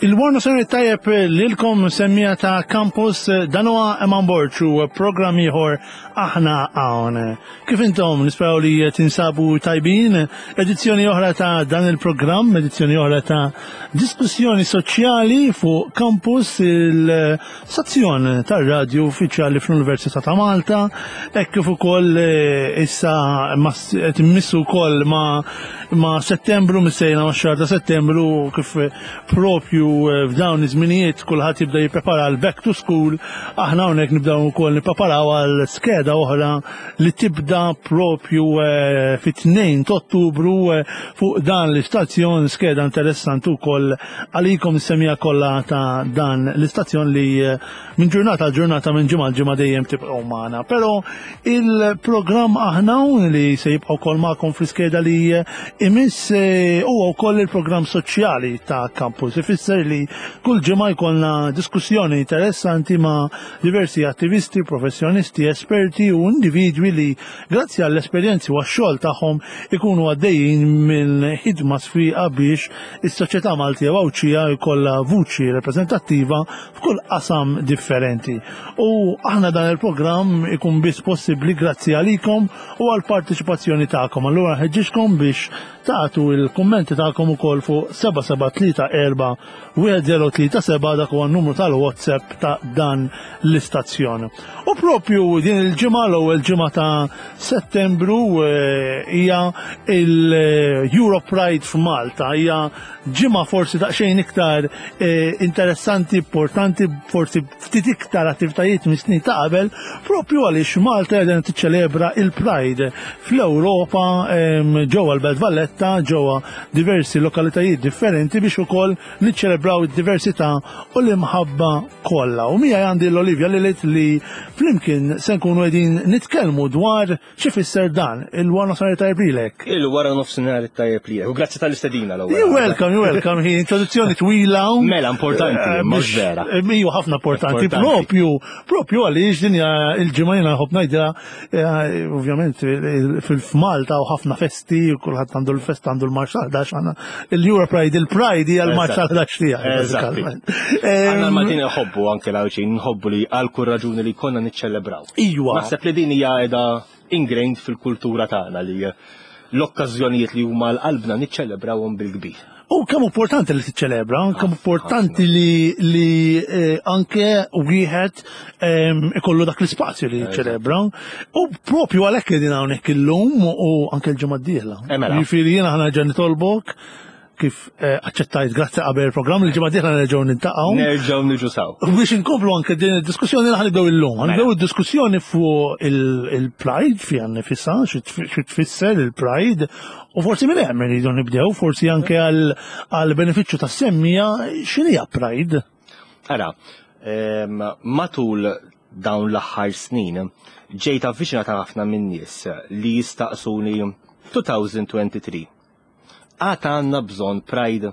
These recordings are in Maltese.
Il-Warna Sena tajjeb lilkom semmija ta' Campus dan huwa Eman Borg u programm ieħor aħna hawn. Kif intom nisperaw li tinsabu tajbin, edizzjoni oħra ta' dan il-programm, edizzjoni oħra ta' diskussjoni soċjali fuq Campus il-stazzjon tar-radju uffiċjali fl-Università ta' Malta, hekk kif ukoll eh, issa qed immissu wkoll ma' ma' Settembru, missejna ma' xahar ta' Settembru kif propju eh, f'dawn iż-żminijiet kulħadd jibda jipprepara għal back to school, aħna hawnhekk nibdew ukoll nippreparaw għal skeda oħra li tibda propju eh, fit-2 ta' Ottubru eh, fuq dan l-istazzjon skeda interessanti wkoll għalikom is-semija kollha ta' dan l-istazzjon li minn ġurnata għal ġurnata minn ġimgħa ġimgħa dejjem tibqgħu magħna. Però il-programm aħna li se jibqa' wkoll magħkom fl-iskeda li imiss eh, huwa wkoll il-programm soċjali ta' campus. Ifisser li kull ġimgħa jkollna diskussjoni interessanti ma' diversi attivisti, professjonisti, esperti u individwi li grazzi għall-esperjenzi u għax-xogħol tagħhom ikunu għaddejjin minn ħidma sfiqa biex is-soċjetà Maltija u Għawdxija jkollha vuċi rappreżentattiva f'kull qasam differenti. U aħna dan il-programm ikun biss possibbli grazzi għalikom u għal partiċipazzjoni tagħkom. Allura ħeġġiġkom biex tagħtu il-kummenti tagħkom ukoll fuq 7734 1037 dak huwa n-numru tal-WhatsApp ta' dan l-istazzjon. U propju din il-ġimgħa l-ewwel ġimgħa ta' Settembru eh, hija il-Euro Pride f'Malta, hija ġimgħa forsi daqsxejn iktar eh, interessanti, importanti, forsi ftit iktar attivitajiet mis snin ta' qabel, propju għaliex Malta qiegħda tiċċelebra il-Pride fl-Ewropa ġewwa l-Belt Valletta, ġewwa diversi lokalitajiet differenti biex ukoll niċċelebraw id-diversità u l-imħabba kollha. U miegħi għandi l-Olivia Lilith li flimkien se nkunu qegħdin nitkellmu dwar X'ifisser dan? Il-wara nofsinhar tajjeb lilek. Il-wara nofsinhar tajjeb lilek. U grazzi tal-istedina l-ewwel. You welcome, you welcome. Hi introduzzjoni twila. Mela importanti, eh, mhux vera. Eh, iju ħafna importanti. Propju, propju għaliex din hija il-ġimgħa jiena nħobb ngħidha eh, ovvjament fil-Malta u ħafna festi, kulħadd għandu l-festa għandu l-marċ tal-11 għandna il-Euro Pride, il-Pride hija l-marċ tal-11 tiegħi. Għandna l-Maltin nħobbu anke l-Għawdxin, nħobbu li għal kull raġuni li konna niċċelebraw. Iwa. Naħseb li din hija qiegħda ingrained fil-kultura tagħna li l-okkażjonijiet li huma l-qalbna niċċelebrawhom bil-kbir. U kemm importanti li tiċċelebra, kemm importanti li, li eh, anke wieħed ehm, ikollu dak l-ispazju li jiċċelebra. U propju għalhekk qegħdin hawnhekk illum u anke l-ġimgħa d-dieħla. Eh, mela. Jiġifieri jiena ħana ġa nitolbok kif eh, aċċettajt grazzi qabel il-programm li ġimgħa dieħla nerġgħu nintaqgħu. Nerġgħu niġu saw. Biex inkomplu anke din id-diskussjoni li ħanibdew illum. Mela. Ħanibdew id-diskussjoni fuq il-pride fiha nifisha, xi tfisser il-pride, u forsi minn hemm irridu nibdew, forsi anke għal benefiċċju tas-semmija x'inhija pride. Ara, ehm, matul dawn l-aħħar snin ġejt avviċinata ħafna minn nies li jistaqsuni 2023 Għad għandna bżonn pride?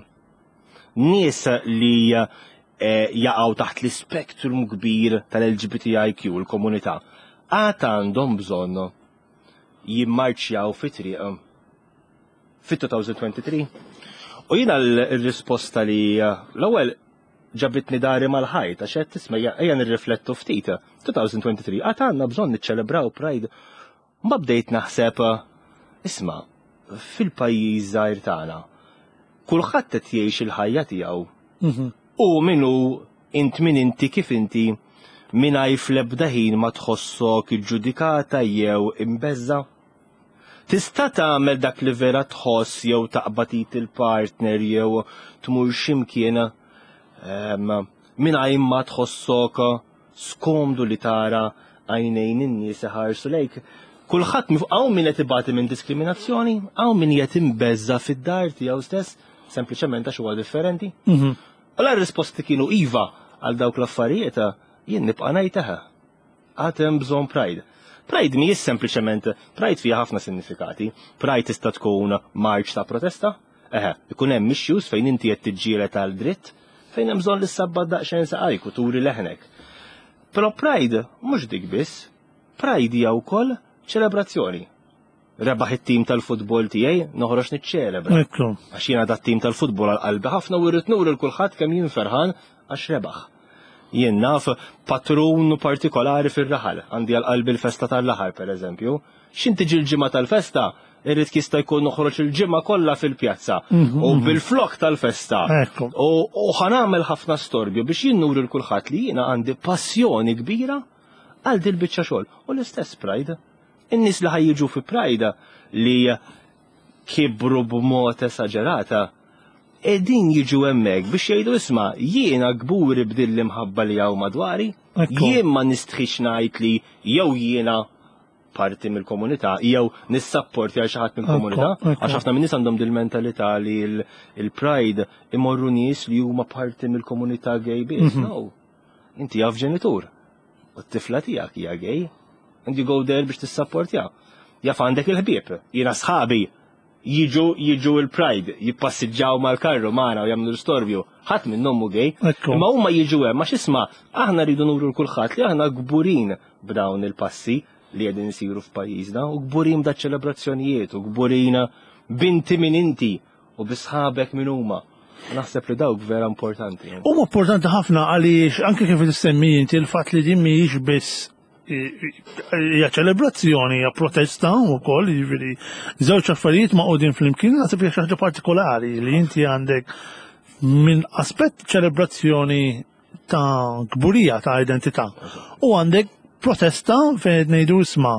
Nies li eh, jaqgħu taħt l-ispektrum kbir tal-LGBTIQ, il-komunità, għad għandhom bżonn jimmarċjaw fi triq fit-2023? U jiena l-risposta li eh, l-ewwel ġabitni dari mal-ħajt għax qed tisma' ejja nirriflettu ftit. 2023 għad għandna bżonn niċċelebraw Pride Mbagħad bdejt naħseb, isma', fil-pajjiż żgħir tagħna, kulħadd qed jgħix il-ħajja tiegħu. Mhm. U min hu int min inti kif inti mingħajr fl-ebda ħin ma tħossok iġġudikata jew imbeżża'. Tista' tagħmel dak li vera tħoss jew taqbad id il-partner jew tmur x'imkien ehm, mingħajr ma tħossok skomdu li tara għajnejn in-nies iħarsu lejk. Kulħadd hawn min qed ibati minn diskriminazzjoni, hawn min qed imbeżża fid-dar tiegħu stess, sempliċement għax huwa differenti. Mhm. U la risposti kienu iva għal dawk l-affarijiet, jien nibqa' ngħid eħe. Għad hemm bżonn pride. Pride mhijiex sempliċement, pride fiha ħafna sinifikati. Pride tista' tkun marċ ta' protesta, Eħe, ikun hemm issues fejn inti qed tiġġieled għal dritt, fejn hemm bżonn li ssabbat daqsxejn saqajk u turi leħnek. Però Pride mhux dik biss, Pride hija wkoll ċelebrazzjoni. Rebaħ it-tim tal-futbol tiegħi, noħroġ niċċelebra. Ekku. Għax jiena dat tim tal-futbol għal qalbi ħafna u rrid nuri 'l kulħadd kemm jien ferħan għax rebaħ. Jien naf patrun partikolari fir-raħal, għandi għal qalbi l-festa tal-raħal pereżempju. X'in tiġi l-ġimgħa tal-festa, irrid jista' jkun noħroġ il-ġimgħa kollha fil-pjazza u bil-flok tal-festa. U ħanamel ħafna storbju biex jien nuri 'l kulħadd li jiena għandi passjoni kbira għal dil-biċċa xogħol. U l-istess Pride. In-nies li ħa jiġu fi Pride li kibru b'mod esaġerata, qegħdin jiġu hemmhekk biex jgħidu isma' jiena kburi b'din l-imħabba li hawn madwari, jien ma nistħix ngħid li jew jiena parti mill-komunità jew nissapporti għal xi ħadd mill-komunità, għax ħafna min-nies għandhom dil-mentalità li l-Pride imorru nies li huma parti mill-komunità gay biss. No. Inti jaf ġenitur. U t-tifla tiegħek hija gay. And you go there biex tissapportja. Jaf għandek il-ħbieb. Jiena sħabi jiġu jiġu il-Pride, jippassiġġaw mal-karru magħna u jagħmlu l-istorbju. Ħadd minnhom hu gay. Imma huma jiġu hemm għax isma' aħna rridu nuru l kulħadd li aħna kburin b'dawn il-passi li qegħdin isiru f'pajjiżna u kburin b'da ċelebrazzjonijiet u kburin binti min inti u bi sħabek min huma. Naħseb li dawk vera importanti. Huma importanti ħafna għaliex anke kif tissemmi inti l-fatt li din mhijiex biss hija ċelebrazzjoni, hija protesta wkoll, jiġifieri żewġ affarijiet maqudin flimkien naħseb hija xi ħaġa partikolari li inti għandek minn aspett ċelebrazzjoni ta' kburija ta' identità. U għandek protesta fejn qed ngħidu isma'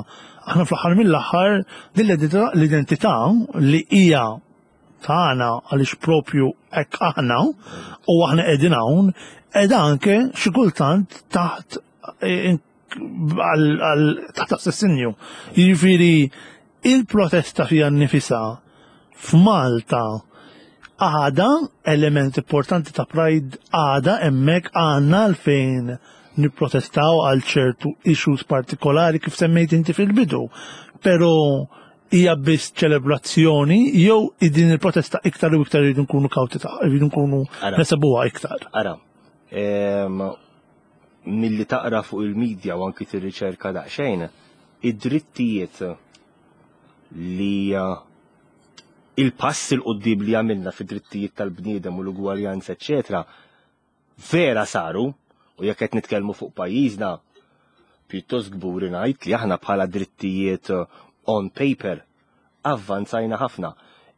aħna fl-aħħar mill-aħħar din l-identità li hija tagħna għaliex propju hekk aħna u aħna qegħdin hawn qiegħda anke xi kultant taħt eh, taħt assassinju. Jiġifieri il-protesta fiha nnifisha f'Malta għada element importanti ta' Pride għada hemmhekk għandna għalfejn nipprotestaw għal ċertu issues partikolari kif semmejt inti fil-bidu. Pero hija biss ċelebrazzjoni jew din il-protesta iktar u iktar rridu nkunu kawti ta' rridu nkunu nesebuha iktar. Ara, milli taqra fuq il-medja u anki tirriċerka daqsxejn, id-drittijiet li eh, il-pass il qudiem li għamilna fid-drittijiet tal-bniedem u l-ugwaljanza, eċetera, vera saru, u jekk qed nitkellmu fuq pajjiżna, pjuttost kburi ngħid li aħna bħala drittijiet eh, on paper avvanzajna ħafna.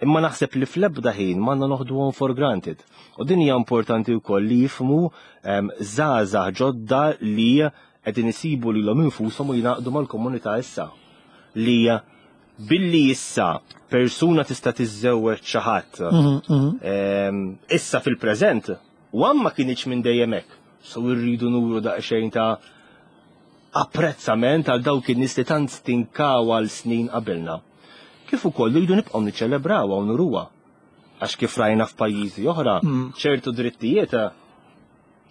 Imma naħseb li fl-ebda ħin m'għandna noħduhom for granted. U din hija importanti wkoll li jifhmu ehm, żgħażagħ ġodda li qegħdin isibu lilhom infushom u jingħaqdu mal-komunità issa. Li billi issa persuna tista' tiżżewweġ xi ħadd mhm, mhm. ehm, issa fil-preżent u ma kienx minn dejjem hekk. So rridu nuru daqsxejn ta' apprezzament għal dawk in-nies li tant stinkaw għal snin qabilna. Kif ukoll rridu nibqgħu niċċelebrawha u nuruha. Għax kif rajna f'pajjiżi oħra, ċertu drittijiet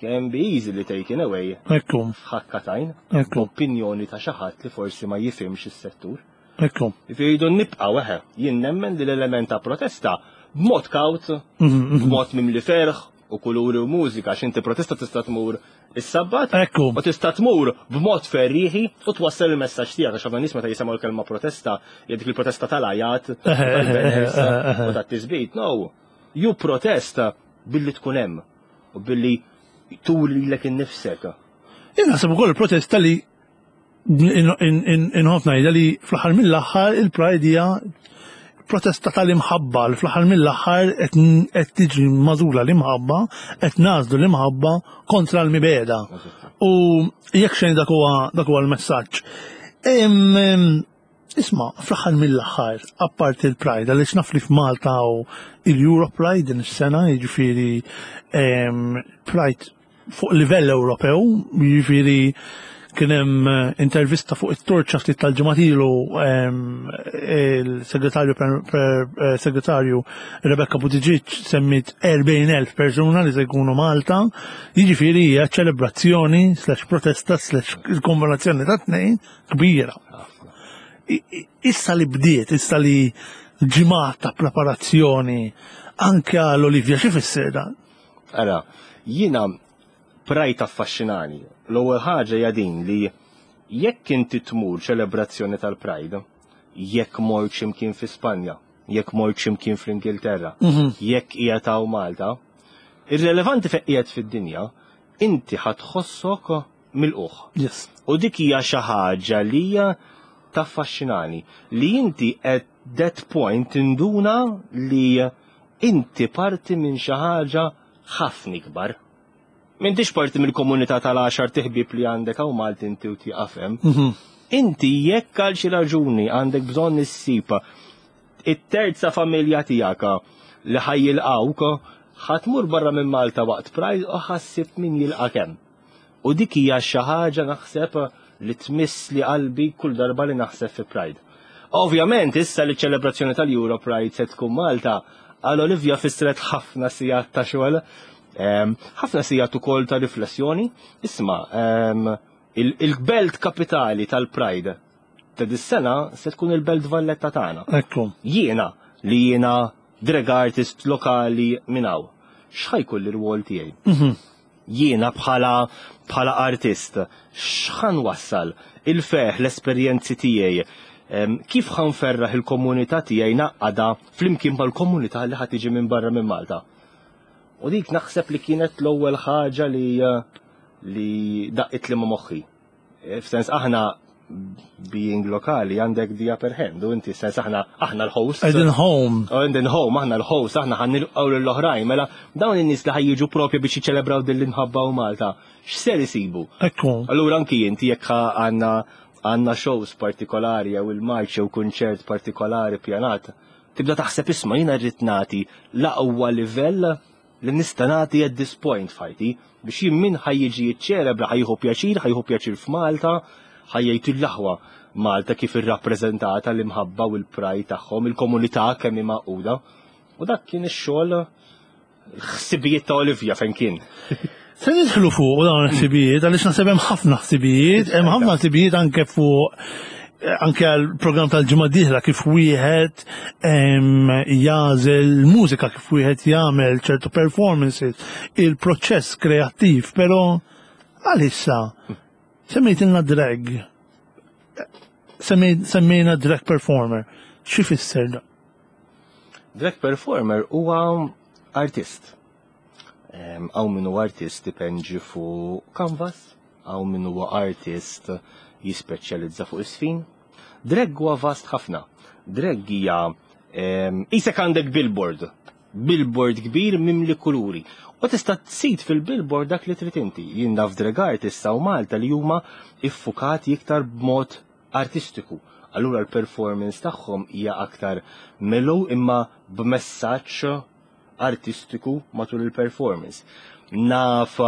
can be easily taken away. Ekku. F'ħakka t'għajn. Ekku. Opinjoni ta' xi ħadd li forsi ma jifhimx is-settur. Ekku. Rridu nibqgħu eħe, jien nemmen li l-element ta' protesta b'mod kawt, b'mod mimli ferħ u kuluri u mużika, għax inti protesta tista' tmur is-Sabbat. Ekku. U tista' tmur b'mod ferrieħi u twassal il-messaġġ tiegħek għax ħafna nies meta jisimgħu l-kelma protesta, hija dik il-protesta tal-għajat, tal-banners u tat-tisbit. No, you protest billi tkun hemm u billi turi lilek innifsek. Jien naħseb ukoll il-protesta li inħobb ngħidha li fl-aħħar mill-aħħar il-Pride hija protesta tal-imħabba li fl-aħħar mill-aħħar qed tiġi magħżula l-imħabba, qed nagħżlu l-imħabba kontra l-mibegħda. U jekk xejn dak huwa dak huwa l-messaġġ. Isma', fl-aħħar mill-aħħar, apparti l-Pride, għaliex naf li f'Malta hawn il-Euro Pride din is-sena, jiġifieri Pride fuq livell Ewropew, jiġifieri kien hemm intervista fuq it-Torċa ftit tal-ġimgħat ilu il-segretarju eh, segretarju Rebecca Buttigieg semmit 40,000 persuna li se jkunu Malta, jiġifieri hija ċelebrazzjoni slash protesta slash il-kombinazzjoni ta' tnejn kbira. Issa li bdiet, issa li ġimgħat ta' preparazzjoni anke għal Olivia xi fisser dan? Ara, jiena Pride affaxxinani. L-ewwel ħaġa hija din li jekk inti tmur ċelebrazzjoni tal-Pride, Jekk mort x'imkien fi Spanja, jekk mort x'imkien fl-Ingilterra, jekk qiegħed hawn Malta, irrelevanti fejn qiegħed fid-dinja, inti ħa tħossok milqugħ. Yes. U dik hija xi ħaġa li hija taffaxxinani, li inti at that point tinduna li inti parti minn xi ħaġa ħafna ikbar. M'intix parti mill-komunità tal-għaxar tiħbib li għandek hawn Malti inti u tieqaf hemm. Inti jekk għal xi raġuni għandek bżonn issib it-terza familja tiegħek li ħa jilqgħuk, ħa tmur barra minn Malta waqt Pride u ħa ssib min jilqak hemm. U dik hija xi ħaġa naħseb li tmiss li qalbi kull darba li naħseb fi Pride. Ovvjament issa li ċ-ċelebrazzjoni tal-Euro Pride se tkun Malta, għal Olivia fissret ħafna sigħat ta' xogħol, ħafna sigħat ukoll ta' riflessjoni. Isma', il-belt kapitali tal-Pride ta' dis-sena se tkun il-Belt Valletta tagħna. Ekku. Jiena li jiena drag artist lokali minn hawn, x'ħa jkun l-irwol tiegħi? Jiena bħala bħala artist, x'ħa nwassal? Il-ferħ, l-esperjenzi tiegħi, kif ħa nferraħ il-komunità tiegħi naqqada flimkien mal-komunità li ħa tiġi minn barra minn Malta? U dik naħseb li kienet l-ewwel ħaġa li li daqqit li ma' moħħi. F'sens aħna being lokali għandek the upper hand u inti sens aħna aħna l-host. Qegħdin home. Qegħdin home, aħna l-host, aħna ħa nilqgħu lill-oħrajn. Mela dawn in-nies li ħa jiġu propju biex jiċċelebraw din l-imħabba u Malta, x'ser isibu? Ekku. Allura anki inti jekk għandna għandna shows partikolari jew il-marċ jew kunċert partikolari pjanat, tibda taħseb isma' jiena rrid nagħti l-aqwa livell li nista' nagħti at this point f'ħajti biex jien min ħa jiġi jiċċelebra ħa jieħu pjaċir, ħa jieħu pjaċir f'Malta, ħa jgħid l-aħwa Malta kif irrappreżentata l-imħabba u l-pride tagħhom, il-komunità kemm hi magħquda. U dak kien ix-xogħol ħsibijiet ta' Olivia fejn kien. Se nidħlu fuq dawn il-ħsibijiet, għaliex naħseb hemm ħafna ħsibijiet, hemm ħafna ħsibijiet anke fuq anke għal program tal-ġimgħa dieħla kif wieħed jagħżel mużika, kif wieħed jagħmel ċertu performances, il-proċess kreattiv, però għalissa semmejtilna drag. Semmejna drag performer. Xi fisser da? Drag performer huwa artist. Hawn min huwa artist ipenġi fuq canvas, hawn min huwa artist jispeċjalizza fuq is-sfin. Drag huwa vast ħafna. Drag hija isek għandek billboard, billboard kbir mimli kuluri. U tista' tsid fil-billboard dak li trid inti. Jien naf drag artists hawn Malta li huma iffukati iktar b'mod artistiku. Allura l-performance tagħhom hija aktar mellow imma b'messaġġ artistiku matul il-performance. Naf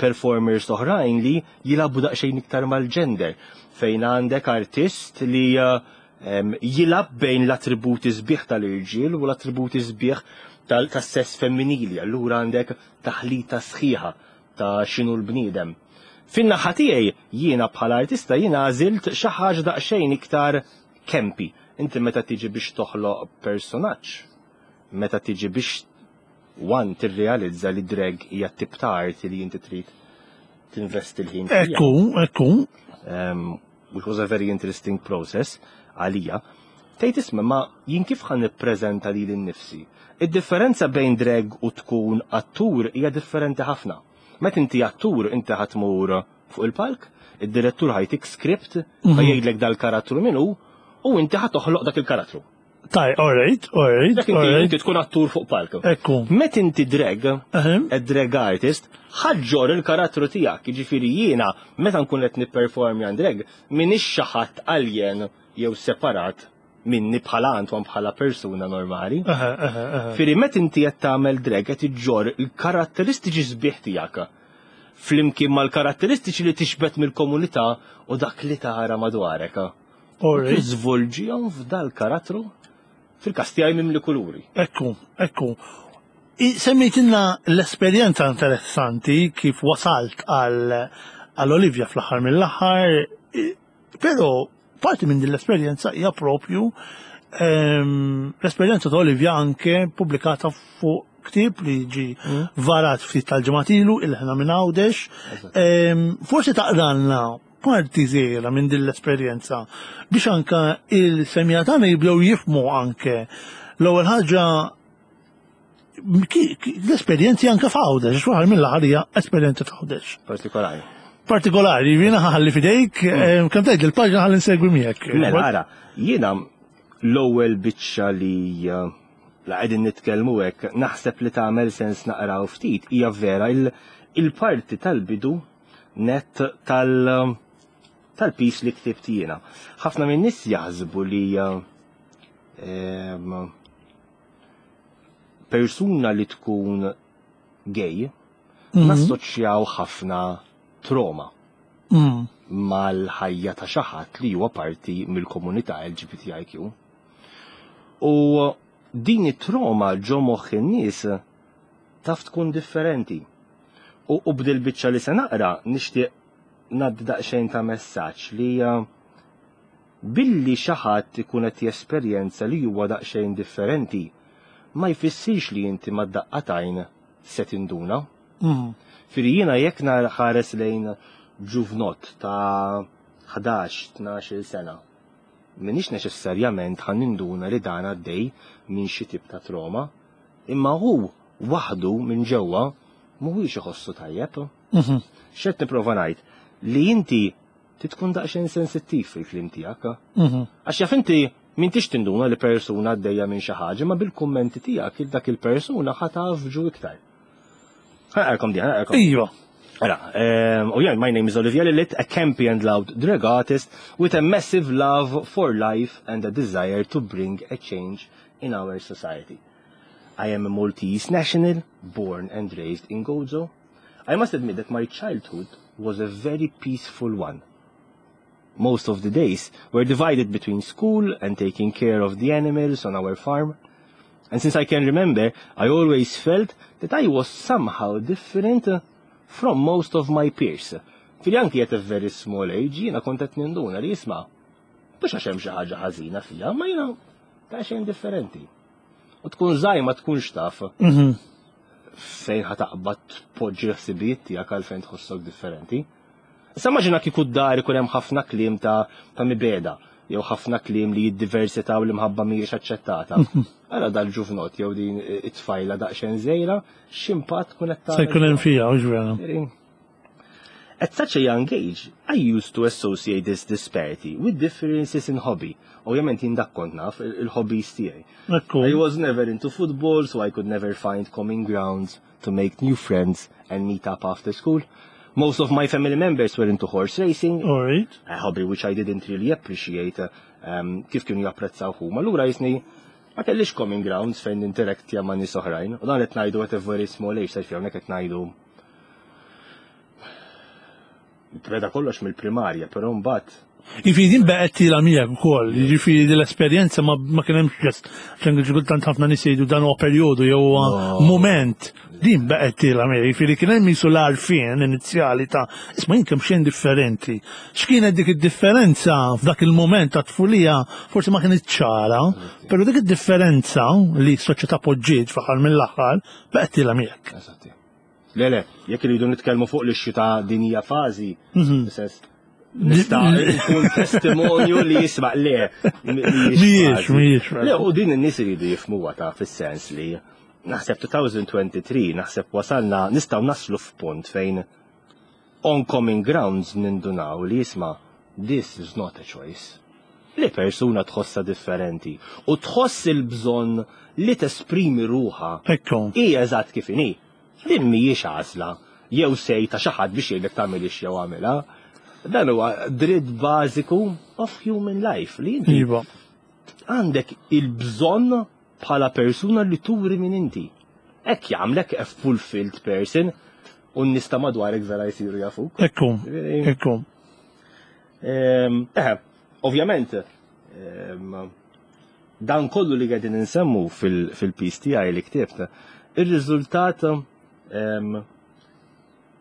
performers oħrajn li jilagħbu daqsxejn iktar mal-gender, fejn għandek artist li jilgħab bejn l-attributi sbieħ tal-irġiel u l-attributi sbieħ tas-sess femminili. Allura għandek taħlita sħiħa ta' x'inhu l-bniedem. Fin-naħa tiegħi jiena bħala artista jiena għażilt xi ħaġa daqsxejn iktar campy. Inti meta tiġi biex toħloq personaġġ, meta tiġi biex one tirrealizza li drag hija tip ta' arti li inti trid tinvesti l-ħin fiha. Ekku, ekku. Which was a very interesting process għalija. Tgħid isma' ma jien kif ħa nippreżenta lili nnifsi? Id-differenza bejn drag u tkun attur hija differenti ħafna. Meta inti attur inti ħa tmur fuq il-palk, id-direttur ħa jtik script, ħa jgħidlek dal-karattru min hu, u inti ħa toħloq dak il-karattru. Taj, all right, all right, Dak inti all right. inti tkun attur fuq palk. Ekku. Met inti drag, Ehem. a drag artist, ħa ġġorr il-karattru tiegħek, jiġifieri jiena meta nkun qed nipperformi għan drag, m'iniex xi ħadd alien jew separat minni bħala Antoine bħala persuna normali. Eħe, eħe, eħe. Firri met inti qed tagħmel drag qed iġġorr il-karatteristiċi sbieħ tiegħek flimkien mal-karatteristiċi li tixbet mill-komunità u dak li tara madwarek. All right. Tiżvolġihom f'dal karattru fil-każ tiegħi mimli kuluri. Ekku, ekku. Semmejtilna l-esperjenza interessanti kif wasalt għal għal Olivia fl-aħħar mill-aħħar, però parti minn din l-esperjenza hija propju l-esperjenza ta' Olivia anke pubblikata fuq ktieb li ġi varat ftit tal-ġimgħat ilu il-ħna minn Għawdex. Forsi taqralna parti żgħira minn din l-esperjenza biex anka il-semija tagħna jibdew jifhmu anke l-ewwel ħaġa l-esperjenzi anke f'Għawdex, għax waħda mill-aħħar hija esperjenza f'Għawdex. Partikolari. Partikolari, jiena ħalli fidejk, eh, kemm tgħid il-paġna ħalli nsegwi miegħek. Mela, ara, jiena l-ewwel biċċa li eh, la qegħdin nitkellmu hekk naħseb li tagħmel sens naqraw ftit hija vera il-parti tal-bidu net tal- tal-pis li ktibt jiena. Ħafna minn nies jaħsbu li ehm, persuna li tkun gay nassoċjaw ħafna trauma mal-ħajja ta' xi ħadd li huwa parti mill-komunità LGBTIQ. U din it-trauma ġo moħħ in-nies taf tkun differenti. U, u b'dil biċċa li se naqra nixtieq ngħaddi daqsxejn ta' messaġġ li billi xi ħadd ikun qed jesperjenza li huwa daqsxejn differenti, ma jfissirx li inti mad-daqqa t'għajn se tinduna. Firri jiena jekk ħares lejn ġuvnott ta' 11-12 sena, minix neċessarjament ħa ninduna li dan għaddej minn xi tip ta' trauma, imma hu waħdu minn ġewwa mhuwiex iħossu tajjeb. X'qed nipprova ngħid? Li inti tkun daqsxejn sensittiv fil-kliem tiegħek. Għax jaf inti m'intix tinduna li persuna għaddejja minn xi ħaġa, ma bil-kummenti tiegħek dak il-persuna ħa tafġu iktar. Ħa naqralkom di, ħa naqralkom. Iva. Ara, oh yeah, my name is Olivia Lilith, a campy and loud drag artist with a massive love for life and a desire to bring a change in our society. I am a Maltese national, born and raised in Gozo. I must admit that my childhood was a very peaceful one. Most of the days were divided between school and taking care of the animals on our farm. And since I can remember, I always felt that I was somehow different from most of my peers. Fili anki at a very small age, jiena kont qed ninduna li jisma' mhux għax hemm xi ħaġa ħażina fija, ma jiena ta' xejn differenti. U tkun żgħir ma tkunx taf fejn ħa taqbad tpoġġi l-ħsibijiet tiegħek għal fejn tħossok differenti. Issa immaġina kieku d-dar ikun hemm ħafna kliem ta' mibegħda jew ħafna kliem li jiddiversità u l-imħabba mhijiex aċċettata. Ara dal-ġuvnot jew din it-tfajla daqsxejn żgħira, x'impatt tkun qed Se jkun hemm fija, hux vera. At such a young age, I used to associate this disparity with differences in hobby. Ovvjament jien dak kont naf il-hobbies tiegħi. Ekku. I was never into football, so I could never find common grounds to make new friends and meet up after school. Most of my family members were into horse racing, All right. a hobby which I didn't really appreciate kif kienu japprezzaw huma. Allura jisni ma kellix common grounds fejn ninteraktja ma' nies oħrajn. U dan qed ngħidu at a very small age, sejf hawnhekk qed ngħidu beda kollox mill-primarja, però mbagħad Jiġifieri din baqgħet tiela' miegħek ukoll, jiġifieri din l-esperjenza ma kien hemmx just xejn kultant ħafna nies jgħidu dan huwa perjodu jew huwa moment. Din baqgħet tiela' miegħek, jiġifieri kien hemm jisu l-għarfien inizjali ta' isma' jien kemm xejn differenti. X'kienet dik id-differenza f'dak il-moment ta' tfulija forsi ma kienet ċara, però dik id-differenza li s-soċjetà poġġiet fl-aħħar mill-aħħar baqgħet tiela' miegħek. Eżatti. Le, le, jekk iridu nitkellmu fuq l-issue ta' din hija fażi, sens nista' nkun testimonju li jisma' le. Mhijiex, mhijiex. Le, u din in-nies iridu jifhmuha ta' fis-sens li naħseb 2023 naħseb wasalna nistgħu naslu f'punt fejn on common grounds nindunaw li jisma' this is not a choice. Li persuna tħossa differenti u tħoss il-bżonn li tesprimi ruħha Ekku. hija eżatt kif inhi. Din mhijiex għażla jew sej ta' xi ħadd biex jgħidlek tagħmilix jew għamilha. Dan huwa dritt bażiku of human life li inti Iva. għandek il-bżonn bħala persuna li turi min inti. Hekk jagħmlek a fulfilled person u n-nies ta' madwarek vera jsiru jafuk. Ekku. Ekku. Ovvjament, dan kollu li qegħdin insemmu fil-piece tiegħi li ktibt, ir-riżultat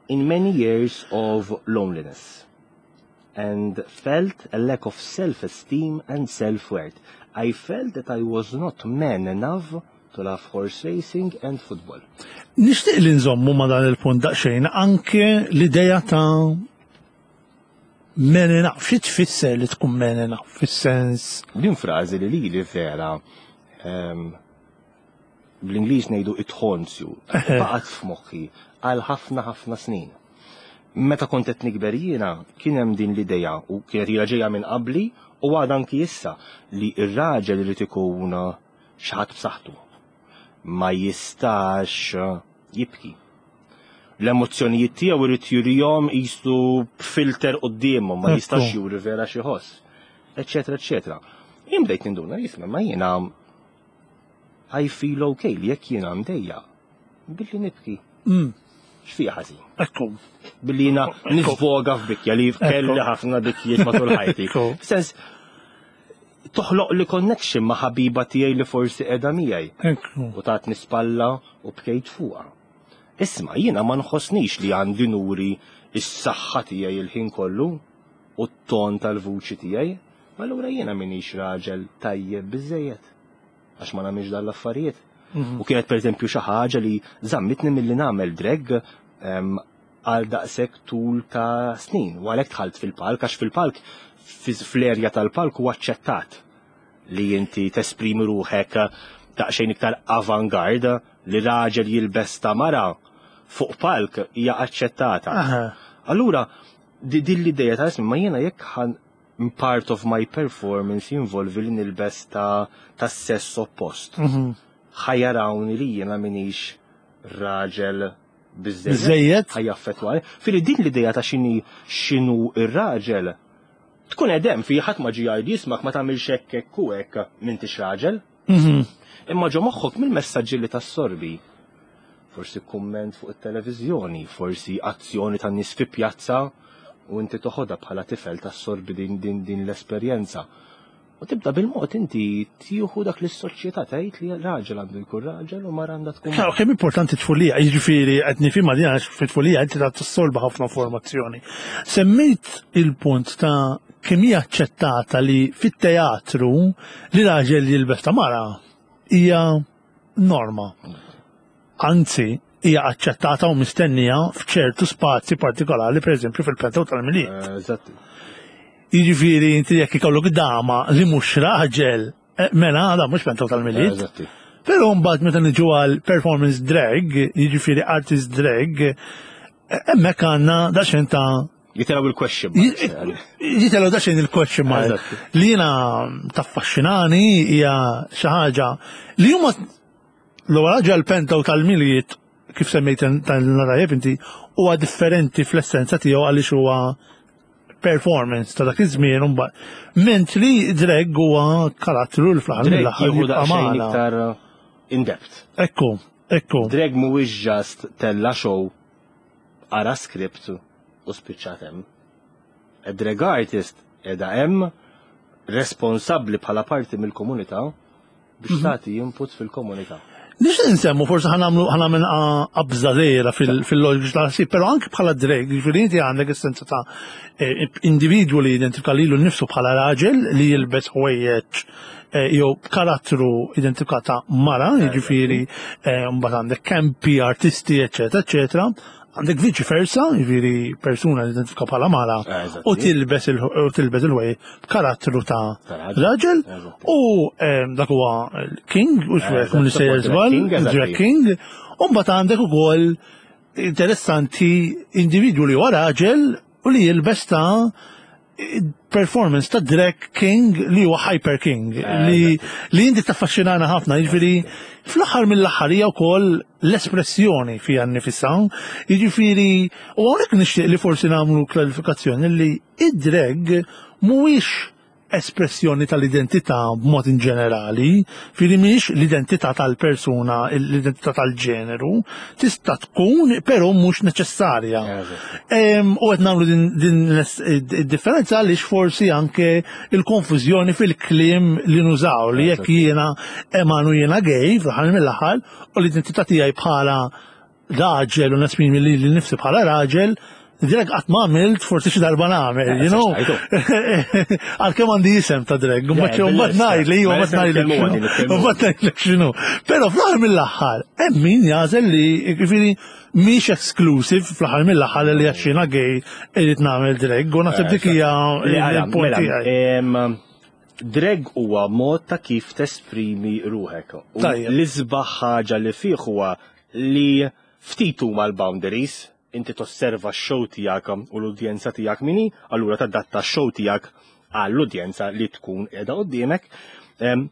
in many years of loneliness and felt a lack of self-esteem and self-worth. I felt that I was not man enough to love horse racing and football. Nixtieq li nżommu ma dan il-punt daqsxejn anke l-idea ta' Man enough, xi tfisser li tkun man enough fis-sens? Din frażi li lili vera bl-Ingliż ngħidu it haunts you, baqgħet f'moħħi għal ħafna ħafna snin. Meta kont qed nikber jiena kien hemm din l-idea u kienet ilha ġejja minn qabli u għadha anki issa li r-raġel irid ikun xi ħadd b'saħħtu. Ma jistax jibki. L-emozzjonijiet tiegħu irid jurihom qisu b'filter quddiemhom, ma jistax juri vera xi ħoss, eċetera, eċetera. Jien bdejt ninduna jisma' ma jiena I feel okay li jekk jiena mdejja billi nibki. X'fiha ħażin? Ekku. Billi jiena nisvoga f'bikja li kelli ħafna bikjiet matul ħajti. Sens, toħloq li connection ma' ħabiba tiegħi li forsi qiegħda miegħi. U tatni spalla u bkejt fuqha. Isma' jiena ma nħossnix li għandi nuri s-saħħa tiegħi il-ħin kollu u t-ton tal-vuċi tiegħi, ma allura jiena m'iniex raġel tajjeb biżejjed għax ma nagħmilx dan l-affarijiet. Mhm. U kienet pereżempju xi ħaġa li żammitni milli nagħmel drag għal daqshekk tul ta' snin. U għalhekk dħalt fil-palk għax fil-palk fl-erja tal-palk huwa aċċettat li inti tesprimi ruħek daqsxejn iktar avant-garde li raġel jilbes ta' mara fuq palk hija aċċettata. Allura, din l-ideja ta' ismi ma jiena jekk ħan part of my performance jinvolvi li nilbes ta' ta' sess oppost. Mhm. Ħajarawni li jiena minix raġel biżejjed. Ħajaffettwani. Fili din l-ideja ta' xini xinu ir-raġel tkun edem fi ħadd ma ġi jgħid jismak ma tagħmilx hekk hekk u hekk m'intix raġel. Mhm. Imma ġo moħħok mill-messaġġi li tassorbi. Forsi kumment fuq it-televiżjoni, forsi azzjoni tan nies fi pjazza u inti toħodha bħala tifel tassorbi din, din, din l-esperjenza. U tibda bil-mod inti tieħu dak li s-soċjetà tgħid li raġel għandu jkun raġel u mara għandha tkun. Kemm kemm importanti tfulija, jiġifieri qed nifhimha din għax fit-tfulija inti ta' tissolba ħafna formazzjoni. Semmejt il-punt ta' kemm hija aċċettata li fit-teatru li raġel jilbes ta' mara hija norma. Anzi, hija aċċettata u mistennija f'ċertu spazji partikolari, pereżempju fil-Pentew tal-Milied. Eh, eżatt. Jiġifieri inti jekk ikollok dama li mhux raġel, eh, mela da mhux Pentew tal-Milied. Eżatti. Però mbagħad meta niġu għal performance drag, jiġifieri artist drag, eh, hemmhekk għandna daqsxejn ta' Jitelaw il-question mark. Jitelaw daqsxejn il-question mark. Li jiena taffaxxinani hija xi ħaġa li huma L-ewwel ħaġa l-pentaw tal-Milied kif semmejt tal-narajeb inti huwa differenti fl-essenza tiegħu għaliex huwa performance ta' dak iż-żmien u mbagħad. Mentri drag huwa karattru l fl-aħħar mill-aħħar jibqa' magħna. iktar in depth. Ekku, ekku. Drag mhuwiex just tella show ara script u spiċċat hemm. A drag artist qiegħda hemm responsabbli bħala parti mill-komunità biex mhm. tagħti input fil-komunità. Nixtieq nsemmu forsi ħanamlu ħanamel qabża żgħira fil-loġika tal-ħsieb, però anke bħala drag, jiġifieri inti għandek is-senza ta' eh, individwu li jidentifika lilu nnifsu bħala raġel li jilbes ħwejjeġ eh, jew karattru identifikata mara, jiġifieri eh, mbagħad għandek kempi, artisti, eċetera, eċetera. Għandek viċi versa, jiġifieri persuna li identifika bħala mara eh, u tilbes il-ħwejjeġ b'karattru ta' raġel u ehm, dak huwa King, u xwek minn sejjer żball, Drag King, u mbagħad għandek ukoll interessanti individwu li huwa raġel u li jilbes ta' performance ta' drag king li huwa hyper king eh, li li inti taffaxxinana ħafna, jiġifieri fl-aħħar mill-aħħar hija wkoll l-espressjoni fiha nnifisha, jiġifieri u hawnhekk nixtieq li forsi nagħmlu klarifikazzjoni li id-drag mhuwiex espressjoni tal-identità b'mod in ġenerali, fili mhijiex l-identità tal-persuna, l-identità tal-ġeneru, tista' tkun però mhux neċessarja. U qed nagħmlu din id-differenza għaliex forsi anke il-konfużjoni fil-kliem li nużaw li jekk jiena Emanu jiena gay fl-aħħar mill-aħħar u l-identità tiegħi bħala raġel u nesprimi li nifsi bħala raġel. Drag qatt ma għamilt, forsi xi darba nagħmel, you know. Għalkemm għandi isem ta' drag, u mbagħad ngħid li iva mbagħad ngħidlek. Mbagħad ngħidlek x'inhu. Però fl-aħħar mill-aħħar hemm min jagħżel li jiġifieri mhix exclusive fl-aħħar mill-aħħar li għax jiena gay irid nagħmel drag u naħseb dik hija l-punt tiegħi. Drag huwa mod ta' kif tesprimi ruħek. L-isbaħ ħaġa li fih huwa li ftit huma l-boundaries, inti tosserva x-show tiegħek u l-udjenza tiegħek min hi, allura tadatta x-show tiegħek għall-udjenza li tkun qiegħda quddiemek.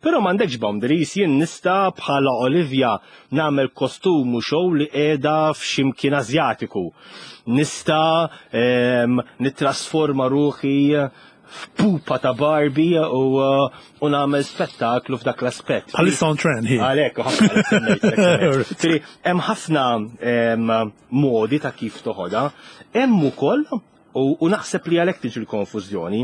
Però m'għandekx boundaries, jien nista' bħala Olivia nagħmel kostum u show li qiegħda f'ximkien Asjatiku. Nista' nittrasforma ruħi f'pupa ta' Barbie u, u nagħmel spettaklu f'dak l-aspett. Bħalissa on trend hi. Għalhekk, ħafna. Hemm ħafna modi ta' kif toħodha. Hemm ukoll u naħseb li għalhekk tiġi l-konfużjoni.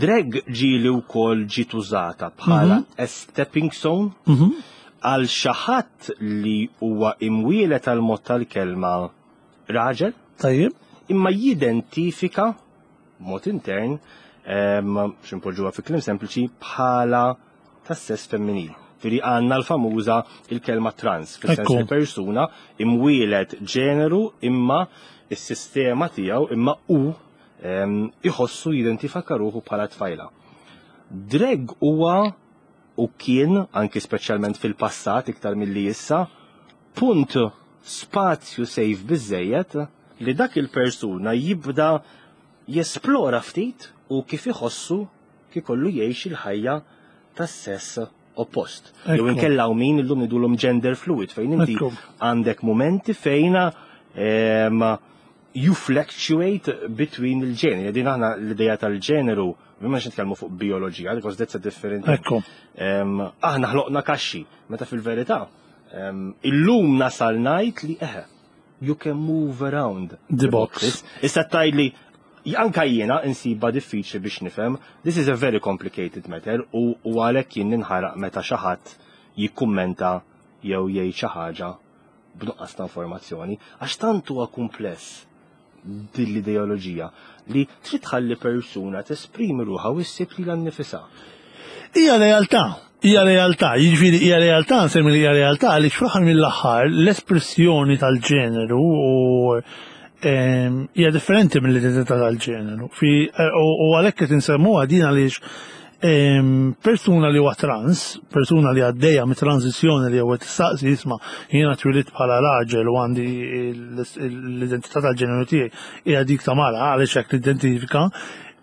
Drag ġieli wkoll ġiet użata bħala mhm. a stepping stone mhm. għal xi ħadd li huwa imwielet għal mod tal-kelma raġel. Tajjeb. Imma jidentifika mod intern x'impoġġuha fi kliem sempliċi bħala tas-sess femminil. Firi għandna l-famuża il-kelma trans, fis-sens li persuna imwielet ġeneru imma is-sistema tiegħu imma u iħossu jidentifika ruħu bħala tfajla. Drag huwa u kien, anki speċjalment fil-passat iktar milli issa, punt spazju safe biżżejjed li dak il-persuna jibda jesplora ftit u kif iħossu kif ikollu jgħix il-ħajja tas-sess oppost. Jew inkella hawn min illum ngħidulhom gender fluid fejn inti għandek momenti fejn you fluctuate between il-ġeneri. Din aħna l-idea tal-ġeneru, ma nitkellmu fuq bioloġija, because that's a different. Ekku. Aħna ħloqna kaxxi, meta fil-verità illum nasal ngħid li eħe, you can move around the box. Issa tgħidli anka jiena insiba diffiċli biex nifhem, this is a very complicated matter u għalhekk jien ninħaraq meta xi ħadd jikkummenta jew jgħid xi ħaġa b'nuqqas ta' informazzjoni, għax tant huwa kumpless din l-ideoloġija li trid tħalli persuna tesprimi ruħha u ssib lilha nnifisha. Hija realtà, hija realtà, jiġifieri hija realtà, nsemmi li hija realtà għaliex fl-aħħar mill-aħħar l-espressjoni tal-ġeneru u hija differenti mill-identità tal-ġeneru. U għalhekk qed insemmuha din għaliex persuna li huwa trans, persuna li għaddejja mit-transizzjoni li huwa tistaqsi isma' jiena twilidt bħala raġel u għandi l-identità tal-ġeneru tiegħi hija dik ta' mara għaliex hekk nidentifika,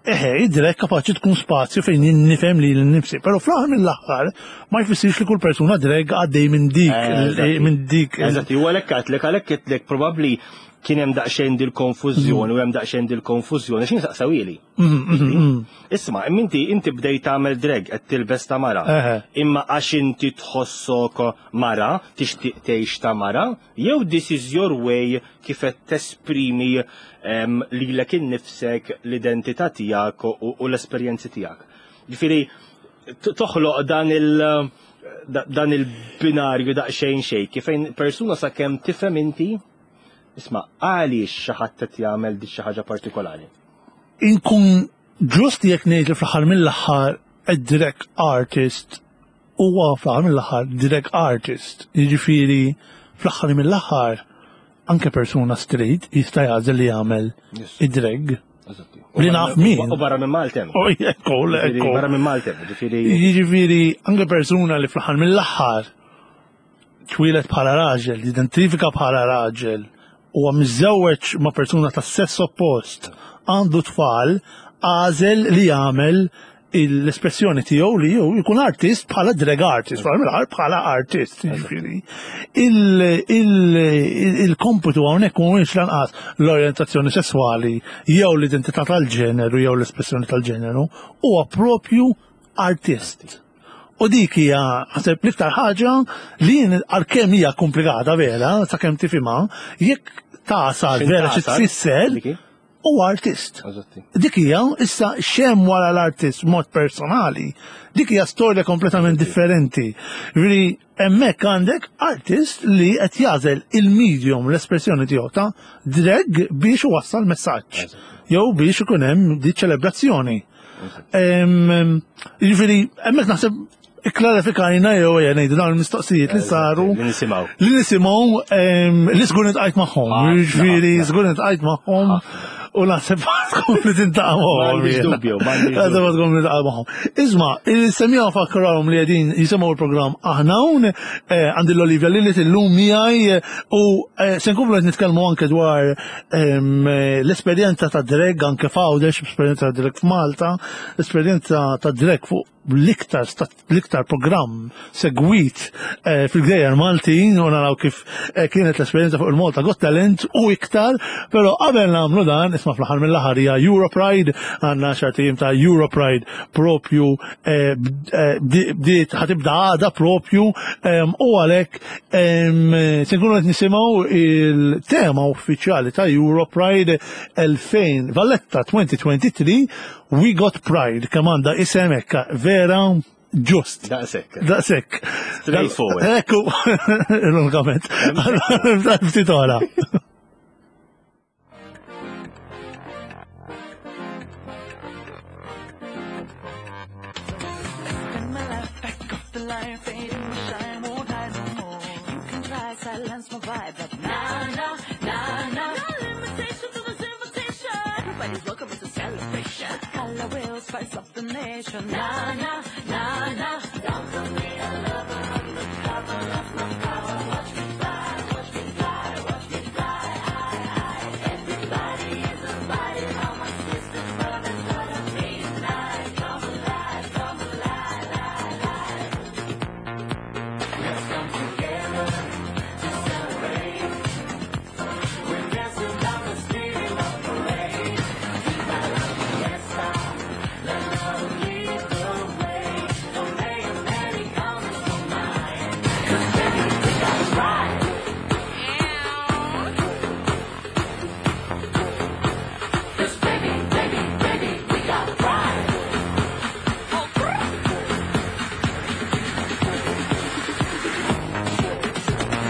eħe, id-drag kapaċi tkun spazju fejn jien nifhem lili nnifsi. Però fl-aħħar mill-aħħar ma jfissirx li kull persuna drag għaddej minn dik minn dik. Eżatt, u għalhekk għedtlek għalhekk għedtlek probabbli kien hemm daqsxejn dil-konfużjoni u hemm daqsxejn dil-konfużjoni x'in saqsawili. Isma', imma inti inti bdejt tagħmel drag qed tilbes ta' mara. Imma għax inti tħossok mara, tixtieq tgħix ta' mara, jew this is your way kif qed tesprimi lilek innifsek l-identità tiegħek u l-esperjenzi tiegħek. Ġifieri toħloq dan il- dan il-binarju daqsxejn xejn kif fejn persuna sakemm tifhem inti isma' għaliex xi ħadd qed jagħmel di xi ħaġa partikolari. Inkun ġust jekk ngħid li fl-aħħar mill-aħħar id-drag artist huwa fl-aħħar mill-aħħar drag artist. Jiġifieri fl-aħħar mill-aħħar anke persuna straight jista' jagħżel li jagħmel id-drag. Li naf min. U barra minn Malta. Oh, ekku, ekku. Barra minn Malta, ġifieri. Jiġifieri anke persuna li fl-aħħar mill-aħħar twieled bħala raġel, identifika bħala raġel, huwa miżżewweġ ma' persuna ta' sess oppost, għandu tfal, għażel li jagħmel l-espressjoni tiegħu li hu jkun artist bħala drag artist, bħala artist, jiġifieri. Il-kompitu hawnhekk mhuwiex lanqas l-orjentazzjoni sesswali jew l-identità tal-ġeneru jew l-espressjoni tal-ġeneru, huwa propju artist. U dik hija naħseb l-iktar ħaġa li jien għalkemm hija komplikata vera, sakemm tifhimha, jekk tasal vera xi tfisser. huwa artist. Dik hija issa xem wara l-artist mod personali, dik hija storja kompletament differenti. Ġifieri hemmhekk għandek artist li qed jagħżel il-medium l-espressjoni tiegħu ta' drag biex iwassal messaġġ jew biex ikun hemm di ċelebrazzjoni. Jiġifieri hemmhekk naħseb ikklarifikajna jew ejja ngħidu dawn il-mistoqsijiet li saru. Li nisimgħu. Li nisimgħu li żgur nitqajt magħhom. Jiġifieri żgur nitqajt magħhom u naħseb tkun li tintaqa' magħhom. Dubju, Naħseb tkun li tintaqa' magħhom. Isma' il-semmiegħa fakkarhom li qegħdin jisimgħu l-programm aħna hawn eh, għandi l-Olivia Lilli illum miegħi u eh, se nkomplu qed nitkellmu anke dwar l-esperjenza ta' drag anke f'Għawdex, l-esperjenza ta' drag f'Malta, l-esperjenza ta' drag fuq l-iktar l-iktar programm segwit eh, fil-gżejjer Maltin u naraw kif eh, kienet l-esperjenza fuq il-Malta Got Talent u iktar, però qabel nagħmlu dan isma' fl-aħħar mill-aħħar hija Europride, għandna xartijiem ta' Europride propju eh, bdiet ħatibda għada propju u għalhekk se nkunu qed nisimgħu il-tema uffiċjali ta' Europride 2000 Valletta 2023 We Got Pride, kemm għandha isem hekk vera ġust. Daqshekk. Daqshekk. Straightforward. Ekku, ironikament. Ftit oħra. Silence my vibe, but nah, nah, nah, nah. No limitation to this invitation. Everybody's welcome, it's a celebration. Color will spice up the nation. Nah, nah, nah, nah. Don't call me a lover, I'm the cover of my power. Watch me fly, watch me fly, watch me fly. I, I. Everybody is invited. All my sisters, brothers, gonna be tonight. Come alive, come alive, alive, alive. Let's come together to celebrate. We're dancing down the street of parade. Viva la fiesta, let love lead the way. Don't pay any comments for mine. 'Cause baby, we got pride. 'Cause baby, baby, baby, we got pride.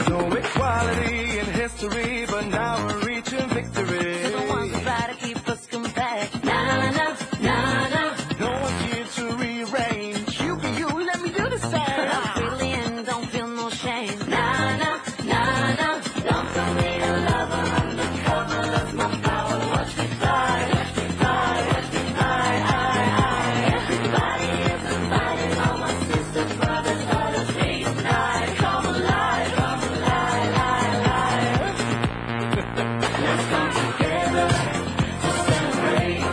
No equality in history, but now we're reaching victory. To the ones who try to keep us compact. Nah, nah, nah, nah. No one's here to rearrange. You be you, let me do the same. I'm freely and don't feel no shame. Nah, nah, nah, nah. Don't call me a lover. Undercover, that's my power. Watch me fly, watch me fly, watch me fly. I, I. Everybody is invited. All my sisters, brothers, daughters, reunite. Come alive, come alive, alive, alive. Let's come together to celebrate.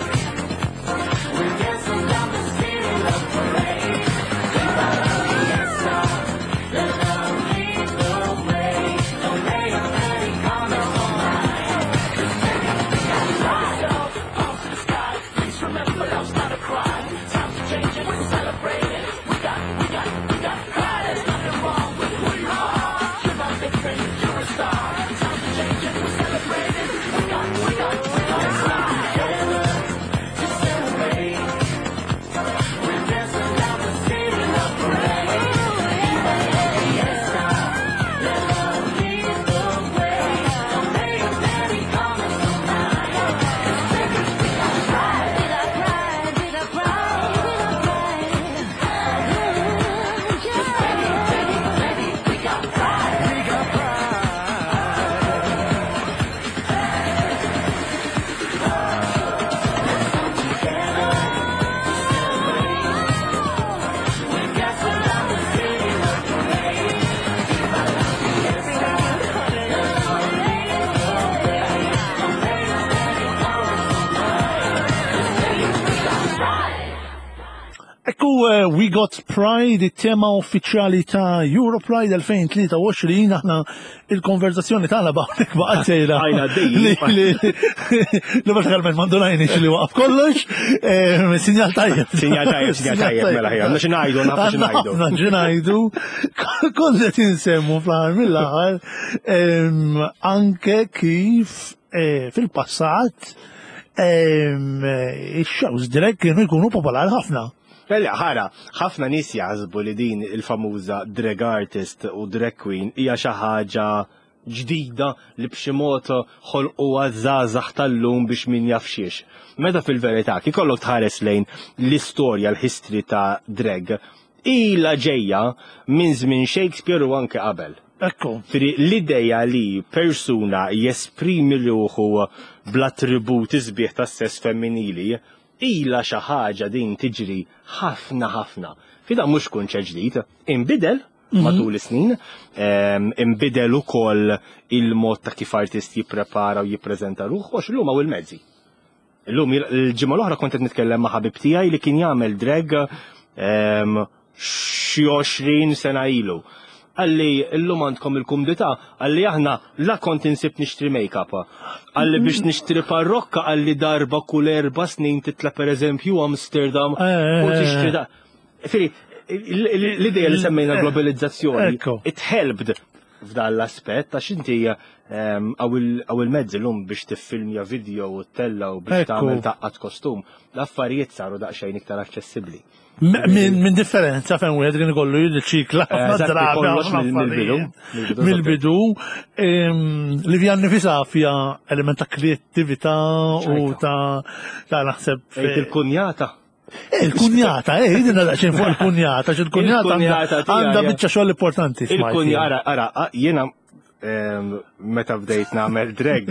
We're dancing down the street in the parade. Viva la fiesta, let love lead the way. Don't pay any comments on mine. 'Cause baby, we got pride. Arms to the sky, please remember love's not a crime. Times are changing, we're celebrating. We got, we got, we got pride. There's nothing wrong with who you are. You're not different, you're a star. Times are changing, we're celebrating. We got, we got, we got pride. Together to celebrate. We're dancing down the street in the parade. Viva la fiesta, let love lead the way. Don't pay any comments on mine. 'Cause baby, we got pride. We got pride, we got pride, we got pride. 'Cause baby, baby, baby, we got pride. We got pride. Let's come together to celebrate. We're dancing down the street in the parade. Viva la fiesta, let love lead the way. Don't pay any comments on mine. 'Cause baby, we got pride. Ekku We Got Pride, it-tema uffiċjali ta' Europride 2023, aħna il-konverzazzjoni tagħna baqgħet baqgħet sejra. Għajna dejjem. Li bażikament m'għandunajniex li waqaf kollox, sinjal tajjeb. Sinjal tajjeb, sinjal tajjeb, mela ħija. Għandna xi ngħidu, nafu xi ngħidu. Għandna xi ngħidu. Kont qed insemmu fl-aħħar mill-aħħar anke kif fil-passat. Ix-shows drag kienu jkunu popolari ħafna. Mela, ħara, ħafna nies jaħsbu li din il-famuża drag artist u drag queen hija xi ħaġa ġdida li b'xi mod ħolquha żgħażagħ tal-lum biex min jaf xiex. Meta fil-verità, kikollok tħares lejn l-istorja, l-history ta' drag, ilha ġejja minn żmien Shakespeare u anke qabel. Ekku. Firi l-ideja li persuna jesprimi ruħu bl-attributi sbieħ tas-sess femminili ilha xi ħaġa din tiġri ħafna ħafna. Fida mhux kunċett ġdid, inbidel matul is-snin, inbidel ukoll il-mod ta' kif artist jipprepara u jippreżenta ruħu għax illum hawn il-mezzi. Illum il-ġimgħa l-oħra kont qed nitkellem ma' ħabib tiegħi li kien jagħmel drag xi 20 sena ilu. Qalli illum għandkom il-kumdità, qalli aħna la kont insib nixtri make-up. Qalli biex nixtri parrokka qalli darba kull 4 snin titla' pereżempju Amsterdam u tixtri da. Firi, l-ideja li semmejna globalizzazzjoni, it helped f'dan l-aspett għax inti għaw il-mezzi l-lum biex tiffilmja video u tella u biex tagħmel taqqat kostum, l-affarijiet saru daqsxejn iktar aċċessibbli. Minn differenza fejn wieħed kien ikollu jirriċikla ħafna drabi mill-bidu. Mill-bidu li fija nifisa fija element ta' kreattività u ta' naħseb. Il-kunjata. Eh, il-kunjata, eh, jidina daqxin fuq il-kunjata, il-kunjata għanda bieċa xogħol importanti. Il-kunjata, ara, ara, jiena meta bdejt nagħmel drag,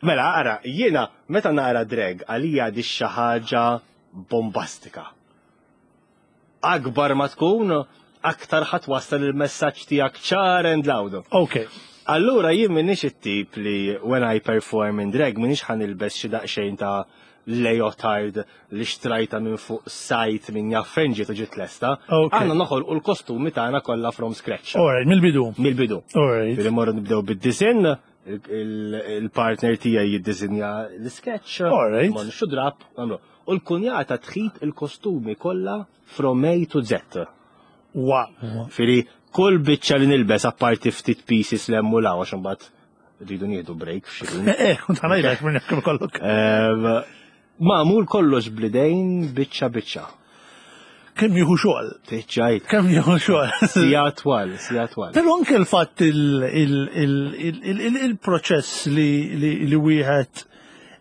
mela, ara, jiena meta nara drag għalija di xi ħaġa bombastika. Akbar ma tkun, aktar ħadd wassal il-messaġġ tiegħek ċar and loud. Ok. Allura jien m'iniex it-tip li when I perform in drag m'iniex ħa nilbes xi daqsxejn ta' leotard li xtrajta minn fuq sajt minn jaf fejn ġiet u ġiet lesta. Aħna noħolqu l-kostumi tagħna kollha from scratch. Alright, mill-bidu. Mill-bidu. Alright. Billi morru nibdew bid-disinn, il-partner tiegħi jiddisinja l-sketch. Alright. Ma nixxu drab, nagħmlu. U l-kunjata tħit il-kostumi kollha from A to Z. Wow. Firi, kull biċċa li nilbes apparti ftit pieces l-hemm u l-hawn għax imbagħad rridu nieħdu break f'xi ħin. Eh, kont ħanajlek minn jekk kollok. Magħmul kollox blidejn biċċa biċċa. Kemm jieħu xogħol? Tiċċajt. Kemm jieħu xogħol? Sija twal, sija twal. Però anke l-fatt il-proċess li wieħed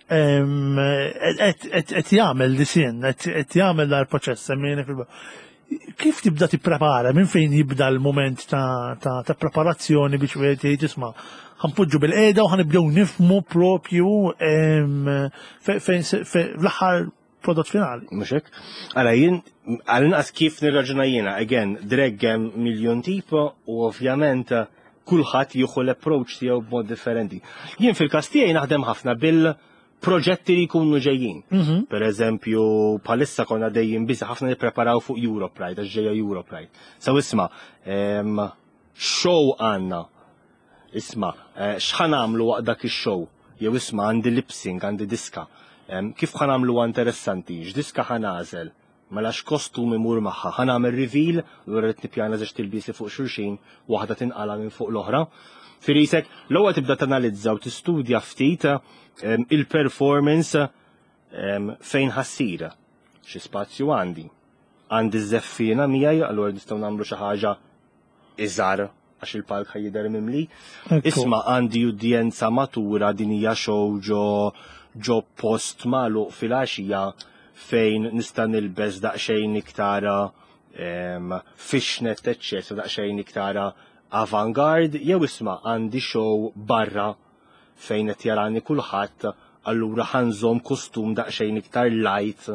qed jagħmel disinn, qed jagħmel dal-proċess semmejna fil Kif tibda tipprepara? Minn fejn jibda l-mument ta' preparazzjoni biex wieħed jgħid isma' ħanpoġġu bil-qiegħda u ħanibdew nifmu propju fejn l-aħħar prodott finali. Mhux hekk? Ara jien għal-inqas kif nirraġuna jiena, again, drag hemm miljun tipo u ovvjament kulħadd jieħu l-approach tiegħu b'mod differenti. Jien fil-każ tiegħi naħdem ħafna bil proġetti li jkunu ġejjin. Per eżempju, bħalissa konna dejjem biża ħafna nippreparaw fuq Europride, għax ġejja Europride. So isma, show għandna. Isma, x'ħa nagħmlu waqt dak ix-show? Jew isma' għandi lip sync, għandi diska. Kif ħa nagħmluha interessanti? X'diska ħa nagħżel? Mela x'kostum imur magħha? Ħa nagħmel reveal, allura rrid nippjana żewġ tilbiesi fuq xulxin, waħda tinqala' minn fuq l-oħra. Firisek, l-ewwel tibda tanalizza u tistudja ftit il-performance fejn ħassir. Xi spazju għandi. Għandi ż-żeffiena miegħi, allura nistgħu nagħmlu xi ħaġa iżgħar għax il-palk ħa jidher mimli. Isma' għandi udjenza matura din hija show ġo ġo post magħluq fil-għaxija fejn nista' nilbes daqsxejn iktar fishnet eċċetera daqsxejn iktar avant-garde, jew isma' għandi show barra fejn qed jarani kulħadd, allura ħa nżomm kostum daqsxejn iktar light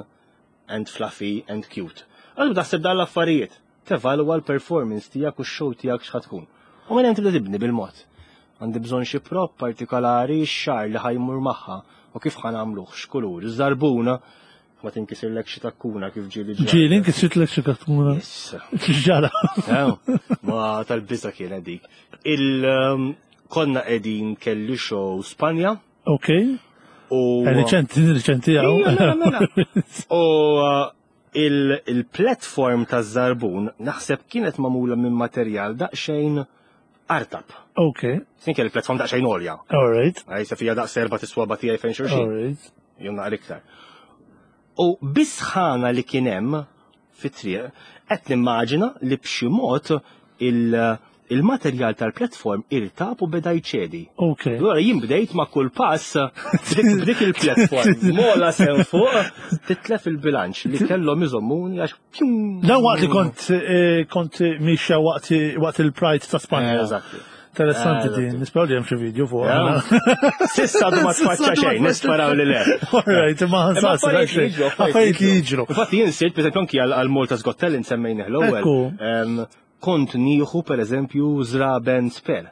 and fluffy and cute. Allura taħseb dan l-affarijiet. Tevalwa l-performance tiegħek u x-show tiegħek x'ħa tkun. U minn hemm tibda tibni bil-mod. Għandi bżonn xi prop partikolari, x-xagħar li ħa jmur magħha u kif ħa nagħmluh, x'kulur, iż-żarbuna, ma tinkisirlek xi takkuna kif ġieli ġara. Ġieli nkisritlek xi takkuna? Issa. X'ġara? Ma tal-biża' kienet dik. Il konna qegħdin kelli show Spanja. Ok. U Riċenti, riċenti għaw. Mela, mela. U il-platform taż-żarbun naħseb kienet magħmula minn materjal daqsxejn artab. Ok. Sin kelli platform daqsxejn għolja. All right. Għajsa fija daqs erba' tiswaba tiegħi fejn xulxin. All right. jew naqra iktar. U bisħana li kien hemm fit-triq, qed nimmaġina li b'xi mod il-materjal tal-platform irtab u beda jċedi. Ok. Allura jien bdejt ma' kull pass b'dik il-platform. Mola sew fuq titlef il-bilanċ li kellhom iżommuni għax. Dan waqt li kont eh, kont mixja waqt waqt il-Pride ta' Spanja. Eh, eżatt. Interessanti Eh, din, nisperaw li hemm xi video fuq. Sissa għadu ma tfaċċa xejn, nisperaw li le. Alright, ma ħansas. Affarijiet li jiġru. Infatti jien sirt, per eżempju, anki għal Malta's Got Talent semmejnih l-ewwel. Ekku. Kont nieħu per eżempju żraben spare.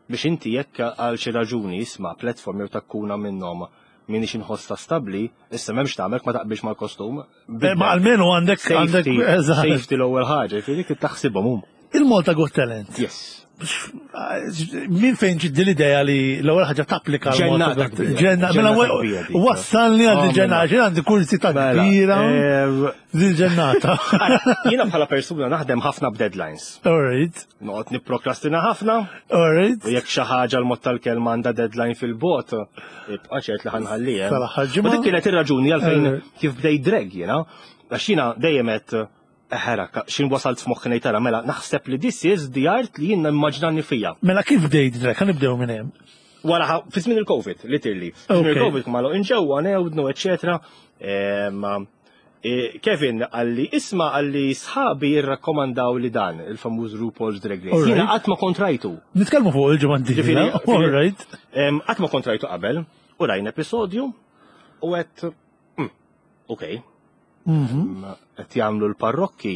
Biex inti jekk għal xi raġuni isma' platform jew takkuna minnhom minix inħossha stabbli, issa m'hemmx tagħmel ma taqbilx mal-kostum. Eh, ma almenu għandek għandek eżatt. Safety l-ewwel ħaġa, jiġifieri dik taħsibhom hum. Il-Malta Got Talent. Yes. Min fejn ġiddi l-idea li l-ewwel ħaġa tapplika Ġennata Ġenna, mela wassalni għand oh, il-ġennata, ġen għandi kursi ta' mela, kbira. Eh, Din ġennata. Jiena bħala persuna naħdem ħafna b'deadlines. All right. Noqgħod nipprokrastina ħafna. All right. U jekk xi ħaġa l-mod tal-kelma għandha deadline fil-bot, ibqa' ċert li ħanħallih. Tal-aħħar ġimgħa. U dik kienet ir-raġuni għalfejn kif bdejt drag jiena, għax jiena dejjem qed eħera, xin wasalt f'moħħi ngħid tara, mela naħseb li this is the art li jiena immaġnani fija. Mela kif bdejt drag? Ħa nibdew minn hemm. Wara fi żmien il-Covid, literally. Fi żmien il-Covid ma inġewwa newdnu, eċetera. E, Kevin għalli isma għalli sħabi jirrakkomandaw li dan il-famuż RuPaul's Drag Race. Jiena qatt ma kontrajtu. Nitkellmu fuq il-ġimgħa d-dieħla. All right. Qatt ma kontrajtu qabel u rajna episodju u għedt ok. Mhm. Qed jagħmlu l-parrokki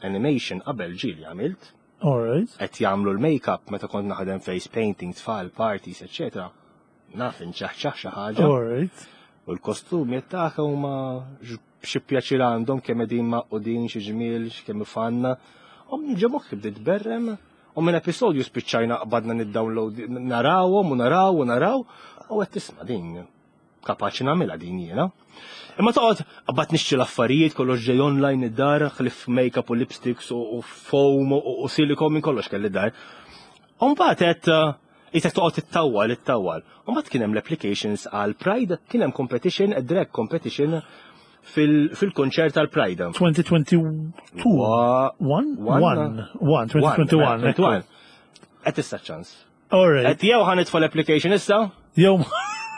animation qabel ġieli għamilt. All right. Qed jagħmlu l-makeup meta kont naħdem face painting, tfal, parties, eċetera. Naf inċaħċaħ xi ħaġa. All right. U l-kostumi tagħha huma xi pjaċir għandhom kemm qegħdin maqudin xi ġmiel, kemm fanna. U ġo moħħi bdiet berrem u minn episodju spiċċajna qbadna niddownload narawhom u naraw u naraw u qed tisma' din kapaċi nagħmilha din jiena. Imma toqgħod qabad nixtri l-affarijiet kollox ġej online id-dar, ħlif make-up u lipsticks u foam u silikon minn kollox kelli dar. U mbagħad qed Isek toqgħod tittawwal, ittawwal. U mbagħad kien hemm l-applications għal Pride, kien hemm competition, a drag competition fil-konċert tal Pride. 2022. 1? 1. 1, 2021. Qed issa ċans. All right. Qed jew ħa nitfa' l-application issa? Jew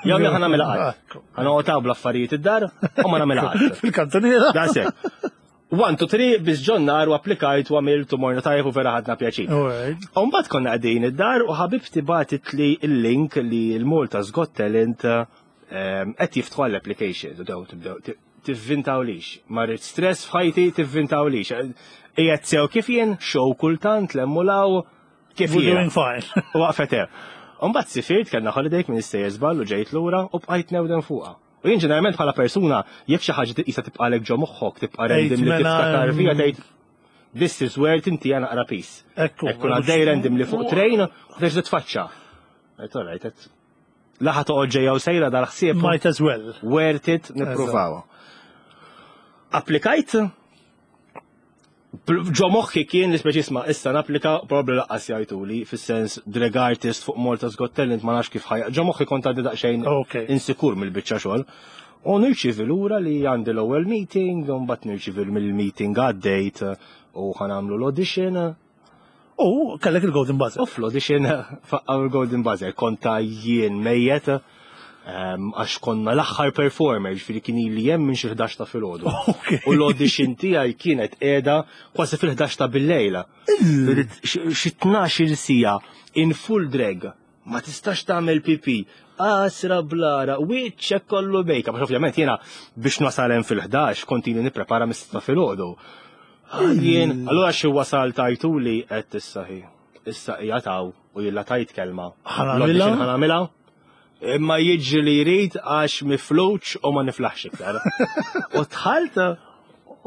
Jew ħa nagħmilha qatt. Ħa noqgħod bl-affarijiet id-dar u ma nagħmilha qatt. Fil-kantoniera. Daqshekk. 1, 2, 3, biz ġon nar u applikajt u għamilt u morna tajjeb u vera ħadna pjaċir. U mbagħad konna qegħdin id-dar u ħabibti bagħtet li l-link li l-Malta's Got Talent qed jiftħu għall-applications u daw tibdew tivvintaw lix. Ma rrid stress f'ħajti tivvintaw lix. Qiegħed sew kif jien, show kultant, lemmulaw, kif We're jien. doing fine. U waqfet hemm. U mbagħad sifirt kellna holiday minn istejjer żball u ġejt lura u bqajt newden fuqha. U jien ġeneralment bħala persuna, jekk xi ħaġa tqisha tibqalek ġo moħħok, tibqa' random li mela, tiftakar fija tgħid this is where tinti għana naqra peace. Ekku. Ekku għaddej random li fuq train u terġa' tfaċċa. Għedt all right, għedt laħa toqgħod ġejja u sejra dal-ħsieb. Might as well. Worth it nippruvaw. Applikajt, ġo moħħi kien li speċi isma' issa napplika probabli laqqas jgħiduli fis-sens drag artist fuq Malta's Got Talent ma nafx kif ħajja. Ġo moħħi kont għandi daqsxejn insikur mill-biċċa xogħol. U nirċivi lura li għandi l-ewwel meeting, u mbagħad nirċivi mill-meeting għaddejt u ħanamlu l-audition. U kellek il-Golden Buzzer. U fl-audition faqqaw il-Golden Buzzer, konta jien mejjet għax konna l-aħħar performer, ġifieri kien ili hemm minn xi 11 ta' filgħodu. U l-audition tiegħi kienet qiegħda kważi fil-11 ta' bil-lejla. Xi 12-il siegħa in full drag, ma tistax tagħmel pipi, qasra blara, wiċċek kollu make-up. Għax ovvjament jiena biex nasal hemm fil-11 kont ili nipprepara mis-sitta filgħodu. Jien, allura xi wasal tajtuli qed issa hi. Issa hija taw u jilla tajt kelma. Ħanamilha? Ħanamilha? Imma jiġri li jrid għax mifluċ u ma niflaħx iktar. U dħalt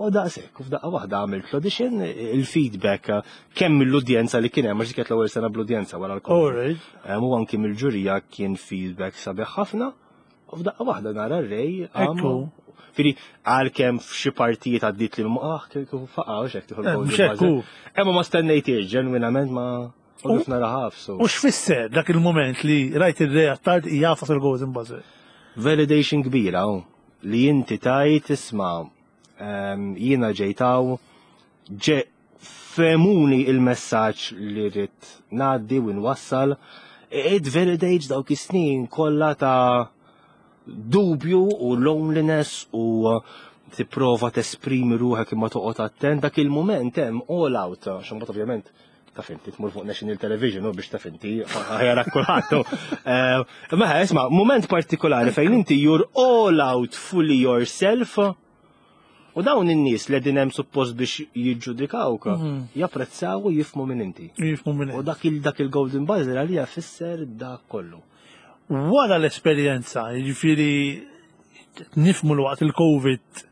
u daqshekk, u f'daqqa waħda għamilt l-audition, il-feedback kemm mill-udjenza li kien hemm, għax dik kienet l-ewwel sena bl-udjenza wara l-Covid. U anki mill-ġurija kien feedback sabiħ ħafna. U f'daqqa waħda nara r-rej. Ekku. Firi, għalkemm f'xi partijiet għaddit li ah, kif faqa, u xek tieħu l-golden Mhux hekk hu. buzzer. Imma ma stennejtiex, ġenwinament ma u kif nara ħafsu. U x'fisser dak il-moment li rajt ir-re Attard jagħfas il-Golden Buzzer? Validation kbira, oh, li inti tajt isma' jiena ġejtaw, ġe fehmuni il-messaġġ li rrid ngħaddi u nwassal. It validates dawk is-snin kollha ta' dubju u loneliness u tipprova tesprimi ruħek imma toqgħod attent dak il-mument hemm all out, għax imbagħad ovvjament taf inti tmur fuq National Television u biex taf inti ħajarak kulħadd. Eh, ma isma' mument partikolari fejn inti you're all out fully yourself u dawn in-nies li qegħdin hemm suppost biex jiġġudikawk japprezzaw u jifhmu minn inti. Jifhmu minn U dak il dak il-Golden Buzzer għalija fisser dak kollu. Wara l-esperjenza, jiġifieri nifhmu l-waqt il-Covid,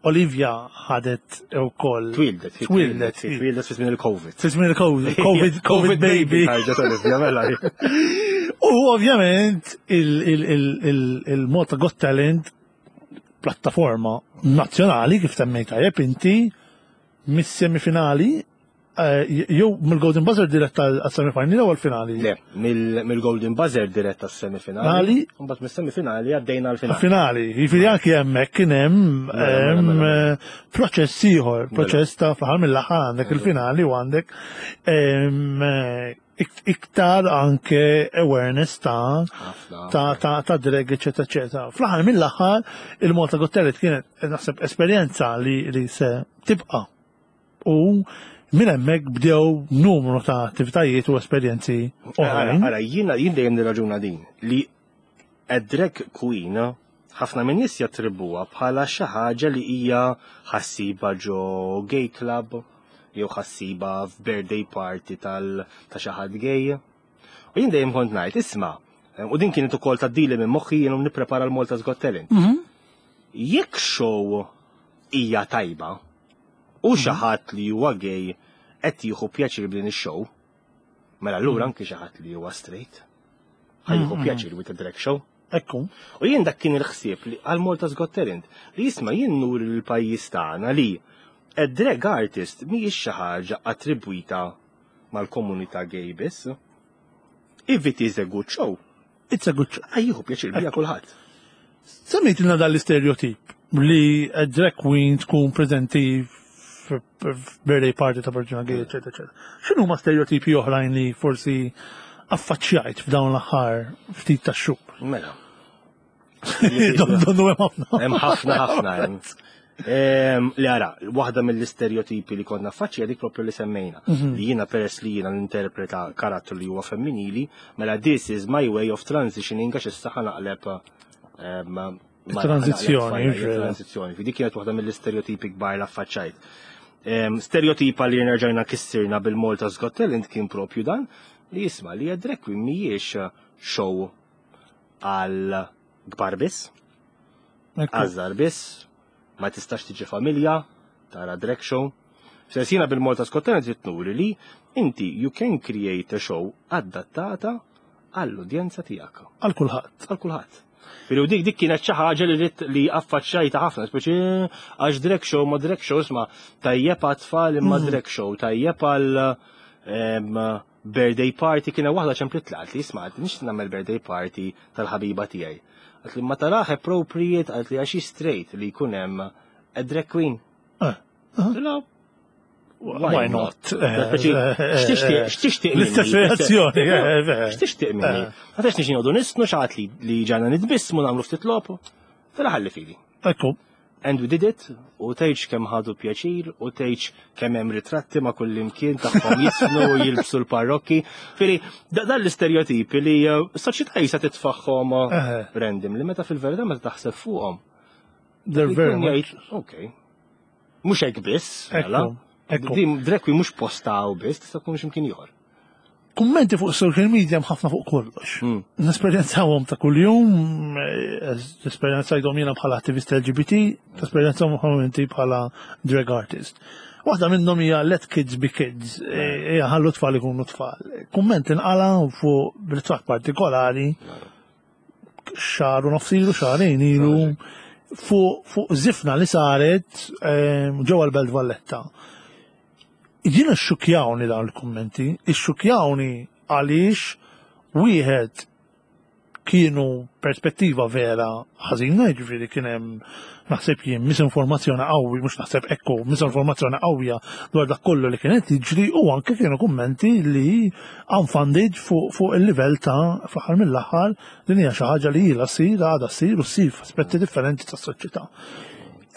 Olivia ħadet ukoll. Twildet. Twildet. Twildet fi żmien il-Covid. Fi żmien il-Covid, Covid, Covid baby. Ħarġet Olivia, mela. U ovvjament il-Malta Got Talent plattaforma nazzjonali kif semmejt tajjeb inti mis-semifinali jew mill-Golden Buzzer dirett għas-semifinali jew għall-finali? Le, mill-Golden Buzzer dirett għas-semifinali. Finali? Mbagħad mis-semifinali għaddejna għall-finali. Finali, jiġifieri anki hemmhekk kien hemm Mela, mela, mela, mela. proċess ieħor, proċess ta' fl-aħħar mill-aħħar għandek il-finali u għandek iktar anke awareness ta' Ħafna. ta' drag, eccetera, eccetera. Fl-aħħar mill-aħħar il-Malta Got Talent kienet naħseb esperjenza li se tibqa' u minn hemmhekk bdew numru ta' attivitajiet u esperjenzi oħrajn. Ara, jiena jien dejjem nirraġuna din li a drag queen ħafna minn nies jattribbuha bħala xi ħaġa li hija ħassiba ġo gay club jew ħassiba f'birthday party tal ta' xi ħadd gay. U jien dejjem kont ngħid, isma' u din kienet ukoll tgħaddili minn moħħi jien u nipprepara l-Malta's Got Talent. Jekk show hija tajba u xi ħadd li huwa gay qed jieħu pjaċir b'din ix-show, mela allura anki xi ħadd li huwa straight ħa jieħu pjaċir with the drag show. Ekku. U jien dak kien il-ħsieb li għal Malta's Got Talent li jisma' jien nuri l-pajjiż tagħna li a drag artist mhijiex xi ħaġa attribwita mal-komunità gay biss. If it is a good show, It's a good show. ħa jieħu pjaċir bija kulħadd. Semmejtilna dan l-istereotip li a drag queen tkun preżenti f'birthday party ta' persuna gay, eccetera, eccetera. X'inhu ma stereotipi oħrajn li forsi affaċċjajt f'dawn l-aħħar ftit ta' xhur? Mela. Donnu hemm ħafna. Hemm ħafna ħafna hemm. Li ara, waħda mill-istereotipi li konna faċċi dik propju li semmejna. Li jiena peress li jiena ninterpreta karattru li huwa femminili, mela this is my way of transitioning għax issa ħa naqleb Transizzjoni, ġifieri. Transizzjoni. Fi dik kienet waħda mill-istereotipi kbar li affaċċajt. Stereotipa li nerġajna kissirna bil-Malta's Got Talent kien propju dan li jisma' li drag queen mhijiex show għal kbar biss, għaż-żgħar biss, ma tistax tiġi familja, tara drag show. Sensina bil-Malta's Got Talent trid nuri li inti you can create a show adattata għall-udjenza tiegħek. Għal kulħadd. Għal kulħadd. Pero dik kienet xi ħaġa li rrid li affaċċajta ħafna, speċi għax drag show ma drag show isma' tajjeb għat-tfal imma drag show, tajjeb għal birthday party kienet waħda ċemplit tlaqt li isma' nix nagħmel birthday party tal-ħabiba tiegħi. Għalt li ma tarax appropriate għalt li għax straight li jkun hemm a drag queen. La, Why not? Speċi, x'tixtieq, x'tixtieq minni? L-istess reazzjoni. X'tixtieq minni? Ma tax nixi noqogħdu nistnu xi ħadd li ġana nitbissmu nagħmlu ftit logħob. Fela ħalli fili. Ekku. And we did it, u tgħidx kemm ħadu pjaċir, u tgħidx kemm hemm ritratti ma' kull imkien tagħhom jisnu u jilbsu l-parrokki. Fili, dan l-istereotipi li soċjetà jisa titfaħħom random li meta fil-verità meta taħseb fuqhom. They're very much. Ok. Mhux hekk biss, mela. Ekku. Din drag queen mhux postaw biss, tista' tkun x'imkien ieħor. Kummenti fuq social media hemm ħafna fuq kollox. Nesperjenzawhom ta' kuljum, nesperjenzajthom jiena bħala attivist LGBT, nesperjenzawhom inti bħala drag artist. Waħda minnhom hija let kids be kids, hija ħallu tfal ikunu tfal. Kumment inqala fuq ritratt partikolari xahar u nofs ilu, xahrejn ilu, fuq żifna li saret ġewwa l-Belt Valletta. Jiena xxukjawni dawn il-kummenti, ixxukjawni għaliex wieħed kienu perspettiva vera ħażina, jiġifieri kien hemm naħseb jien misinformazzjoni qawwi, mhux naħseb ekku, misinformazzjoni qawwija dwar dak kollu li kienet jiġri u anke kienu kummenti li unfunded fuq fu il-livell ta' fl-aħħar mill-aħħar din hija xi ħaġa li ilha ssir, għadha ssir u ssir f'aspetti differenti tas-soċjetà.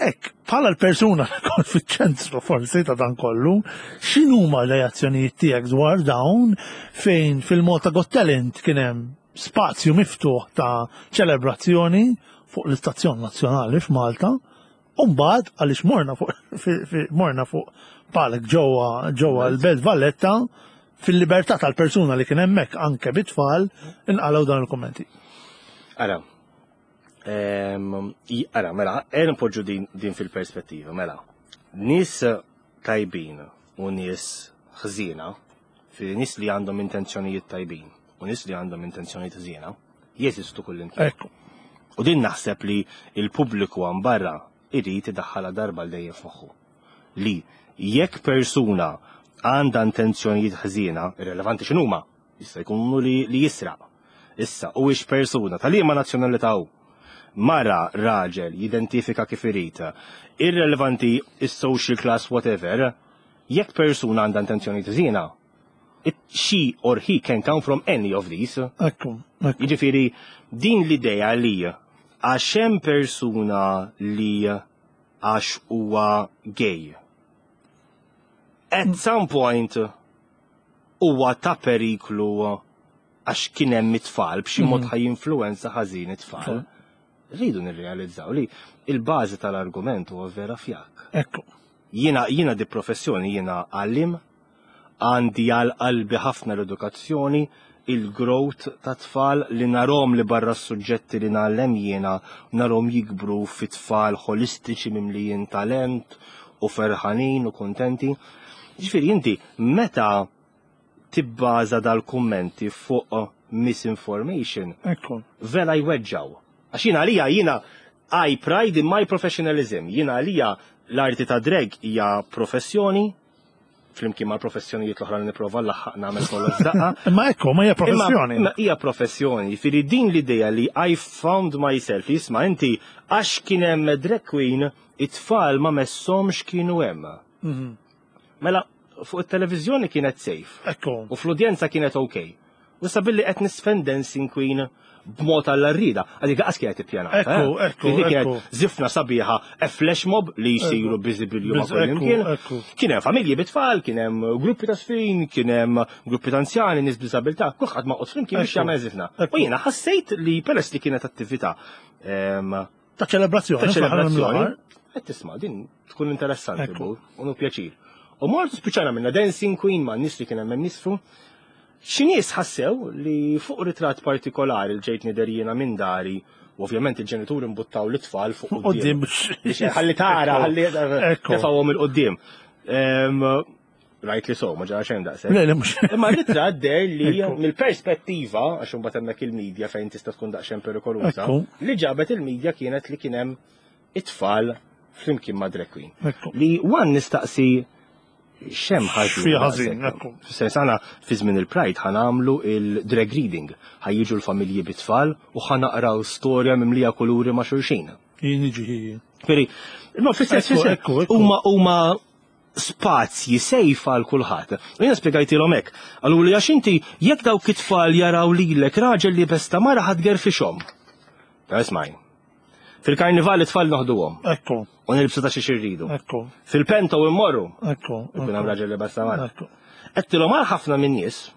Ek, bħala l-persuna li kont fiċ-ċentru forsi ta' dan kollu, x'inhuma r-reazzjonijiet tiegħek dwar dawn fejn fil-Malta Got Talent kien hemm spazju miftuħ ta' ċelebrazzjoni fuq l-Istazzjon Nazzjonali f'Malta, u mbagħad għaliex morna fuq morna fuq palk ġewwa ġewwa l-Belt Valletta fil-libertà tal-persuna li kien hemmhekk anke bit-tfal inqalgħu dan il-kummenti. Ara, ara, mela, ejja npoġġu din, din fil-perspettiva, mela. Nies tajbin u nies ħżiena, fi nies li għandhom intenzjonijiet tajbin u nies li għandhom intenzjonijiet ħżiena, jeżistu kullimkien. Ekku. U din naħseb li il-pubbliku għan barra irid idaħħalha darba l dejjem f'moħħu. Li jekk persuna għandha intenzjonijiet ħżiena, irrelevanti x'inhuma, jista' jkunu li, li jisraq. Issa, u ix persuna ta' liema nazzjonalità hu, mara, raġel, jidentifika kif irid, irrelevanti is-social class whatever, jekk persuna għandha intenzjonijiet ħżiena, she or he can come from any of these. Ekku, ekku. Jiġifieri din l-idea li għax hemm persuna li għax huwa gay. At some point huwa ta' periklu għax kien hemm it-tfal b'xi mod ħa jinfluwenza ħażin it-tfal. Rridu nirrealizzaw li il-bażi tal-argument huwa vera fjakk. Ekku. Jiena jiena di professjoni jiena għallim, għandi għal qalbi ħafna l-edukazzjoni, il-growth ta' tfal li narahom li barra s-suġġetti li ngħallem jiena narahom jikbru fi tfal holistiċi mimlijin talent u ferħanin u kontenti. Ġifieri inti meta tibbaża dal-kummenti fuq misinformation, Ekku. vera jweġġaw. Għax jiena għalija jiena I pride in my professionalism. Jiena għalija l-arti ta' drag hija professjoni, flimkien mal professjonijiet l-oħra li nipprova laħħaq nagħmel kollox daqqa. Imma ekku, ma hija professjoni. Imma hija professjoni, jiġifieri din l-idea li I found myself, isma' inti għax kien hemm drag queen, it-tfal ma messomx kienu hemm. Mela, fuq it-televiżjoni kienet safe. Ekku. U fl-udjenza kienet ok. U issa billi qed nisfen Dancing Queen b'mod għall-arrida, għalik qas kienet ippjanata. Ekku, eh? ekku, Dik kienet ekku. Zifna sabiħa, a flash mob li jisiru biżibilju ma' Biz- kull ekku, imkien. ekku. Kien hemm familji bit-tfal, kien hemm gruppi ta' sfin, kien hemm gruppi ta' anzjani, nies b'diżabilità, kulħadd ma' flimkien biex Ekku. jagħmel zifna. Ekku. U jiena ħassejt li peress li kienet attività Ta' ċelebrazzjoni. ta' fl-aħħar ċelebrazzjoni. mill-aħħar. Qed tisma' din tkun interessanti Ekku. bu, u nu pjaċir. U mort spiċċana minna Dancing Queen ma' nies li kien hemm nisfu. Xi nies ħassew li fuq ritratt partikolari li ġejt nidher jiena minn dari, u ovvjament il-ġenituri mbuttaw l-itfal fuq Qoddim quddiem. biex. Ħalli tara, ħalli Ekku. tefgħuhom il-qudiem. Rajt li so, ma ġara xejn daqshekk. Le, le, mhux. Imma r-ritratt der li Ekku. mill-perspettiva, għax imbagħad hemmhekk il-medja fejn tista' tkun daqsxejn perikoluża, Ekku. li ġabet il-medja kienet li kien hemm it-tfal flimkien ma' drag queen. Ekku. Li wan nistaqsi xem ħażin. Xi ħażin, daqshekk. ekku. Fis-sens aħna fi żmien il-Pride ħanamlu il-drag reading, ħajjiġu l-familji bit-tfal u ħanaqraw storja mimlija kuluri ma' xulxin. Jien iġi. Veri, no, fis-sens, Ekku, fis-sens, ekku, ekku. huma huma spazji safe għal kulħadd. U jiena spjegajtilhom hekk. Qalu li għax inti jekk dawk it-tfal jaraw lilek raġel li besta mara ħadd gerfixhom. Ta' ismaj. Fil-karnival it-tfal noħduhom Ekku, u nilbsu ta' xi xirridu. ekku, Fil-pento immorru ekku. ikun hemm raġel li besta mara. Ekku. Għedtilhom għal ħafna minn nies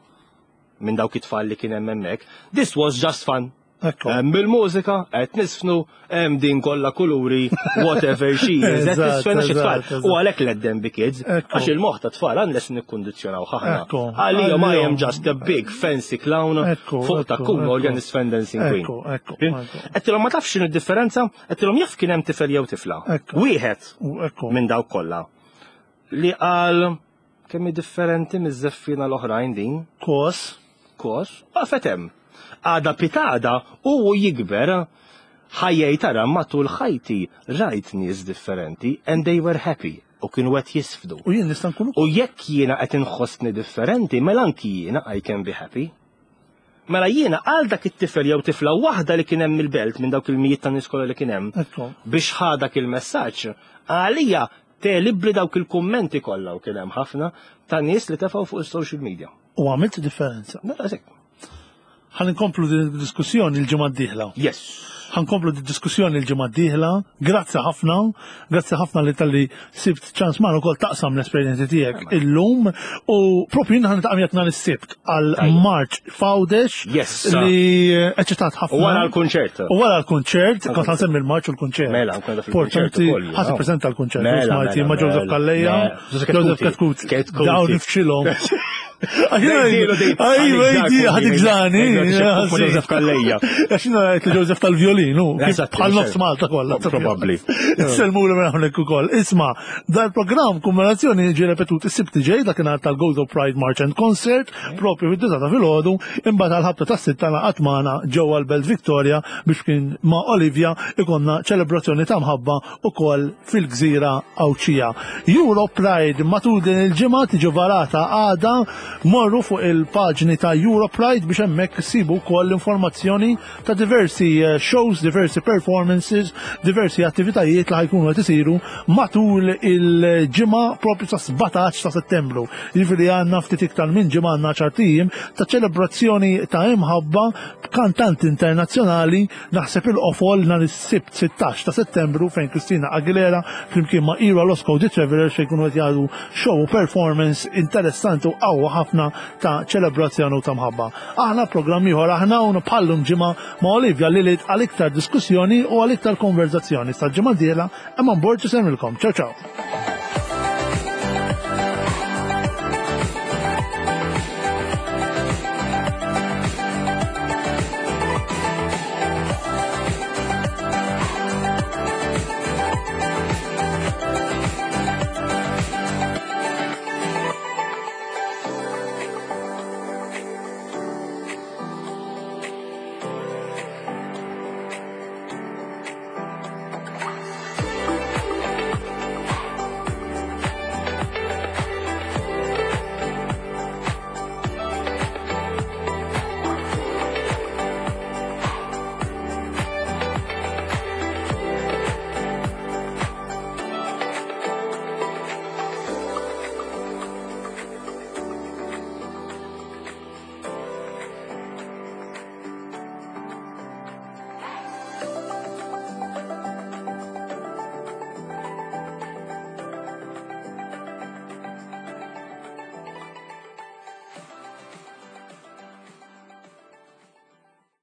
minn dawk it-tfal li kien hemm hemmhekk, this was just fun. Ekku. Hemm bil-mużika, qed nisfnu, hemm din kollha kuluri, whatever she is, qed Eżatt, nisfena xi tfal. eżatt, eżatt. U għalhekk let them be kids, Ekku. għax il-moħħ ta' tfal unless nikkundizzjonaw ħaħna. Ekku. Għalihom I am Għalihom. just a big fancy clown Ekku, fuq ta' ekku, kun ekku. organ nisfen dancing queen. Ekku, ekku, ekku. Għedtilhom ma tafx x'inhu d-differenza, għedtilhom jaf kien hemm tifel jew tifla. Ekku. Wieħed U Ekku. minn dawk kollha li qal kemm hi differenti miż-żeffina l-oħrajn din Kos. kos, waqfet hemm. Għada pitada u jikber ħajjej tara matul ħajti rajt nies differenti and they were happy u kienu qed jisfdu. U jien nista' nkun U jekk jiena qed inħossni differenti, mela anki jiena I can be happy. Mela jiena għal dak it-tifel jew tifla waħda li kien hemm il-belt minn dawk il-mijiet ta' nies kollha li kien hemm biex ħa dak il-messaġġ, għalija tegħlibli dawk il-kummenti kollha u kien hemm ħafna ta' nies li tefgħu fuq is-social media. U għamilt differenza. Mela sekk. Ħa nkomplu din id-diskussjoni l-ġimgħa d-dieħla. Yes. Ħa nkomplu din diskussjoni l-ġimgħa d-dieħla. Grazzi ħafna, grazzi ħafna li talli sibt ċans magħna wkoll taqsam l-esperjenzi tiegħek illum u propju jien ħa niltaqa' miegħek nhar is-Sibt għal March f'Għawdex Yes. li eċitat ħafna. U wara l-kunċert. U wara l-kunċert, kont ħa nsemmi l-marċ u l-kunċert. Mela, nkun qiegħda fil-kunċert Importanti, ukoll, ħa ja. tippreżenta l-kunċert, Mela, smajti, mela, ma' Joseph mela, Calleja, mela. Joseph Joseph Chetcuti. Chetcuti. Chetcuti. Dawn nifxilhom. Dejdilu, dej- Ajwa, ħadik żani. Joseph Calleja. Għax jiena għedt li Joseph tal-violin, hu, kif Eżatt, bħal nofs mhux Malta kollha. Probabbli. Sellmu li minn hawnhekk ukoll. Isma', dal-programm kumulazzjoni ġie repetut is-Sibt li ġej dakinhar tal-Gozo Pride March and Concert, propju fid-disgħa ta' filgħodu, imbagħad għall-ħabta tas-sitta ngħaqad magħna ġewwa l-Belt Victoria biex kien ma' Olivia ikonna ċelebrazzjoni ta' mħabba ukoll fil-gżira Għawdxija. Euro Pride matul din il-ġimgħa tiġi varata għada, morru fuq il-paġni ta' Euro Pride biex hemmhekk issibu wkoll l-informazzjoni ta' diversi eh, shows, diversi performances, diversi attivitajiet li ħajkunu qed isiru matul il-ġimgħa propju sa' 17 ta' Settembru. Jiġifieri għandna ftit iktar minn ġimgħa għandna ċart ijiem ta' ċelebrazzjoni ta' imħabba b'kantanti internazzjonali naħseb il-qofol nhar is-Sibt 16 ta' Settembru fejn Christina Aguilera flimkien ma' Ira Losco The Travelers se jkunu qed jagħtu show u performance interessanti u qawwa ħafna ta' ċelebrazzjoni u ta' mħabba. Aħna programm ieħor aħna hawn bħallum ġimgħa ma' Olivia Lilith għal iktar diskussjoni u għal iktar konverzazzjoni. Sal-ġimgħa d-dieħla Eman Borg isemmilkom. Ciao ciao.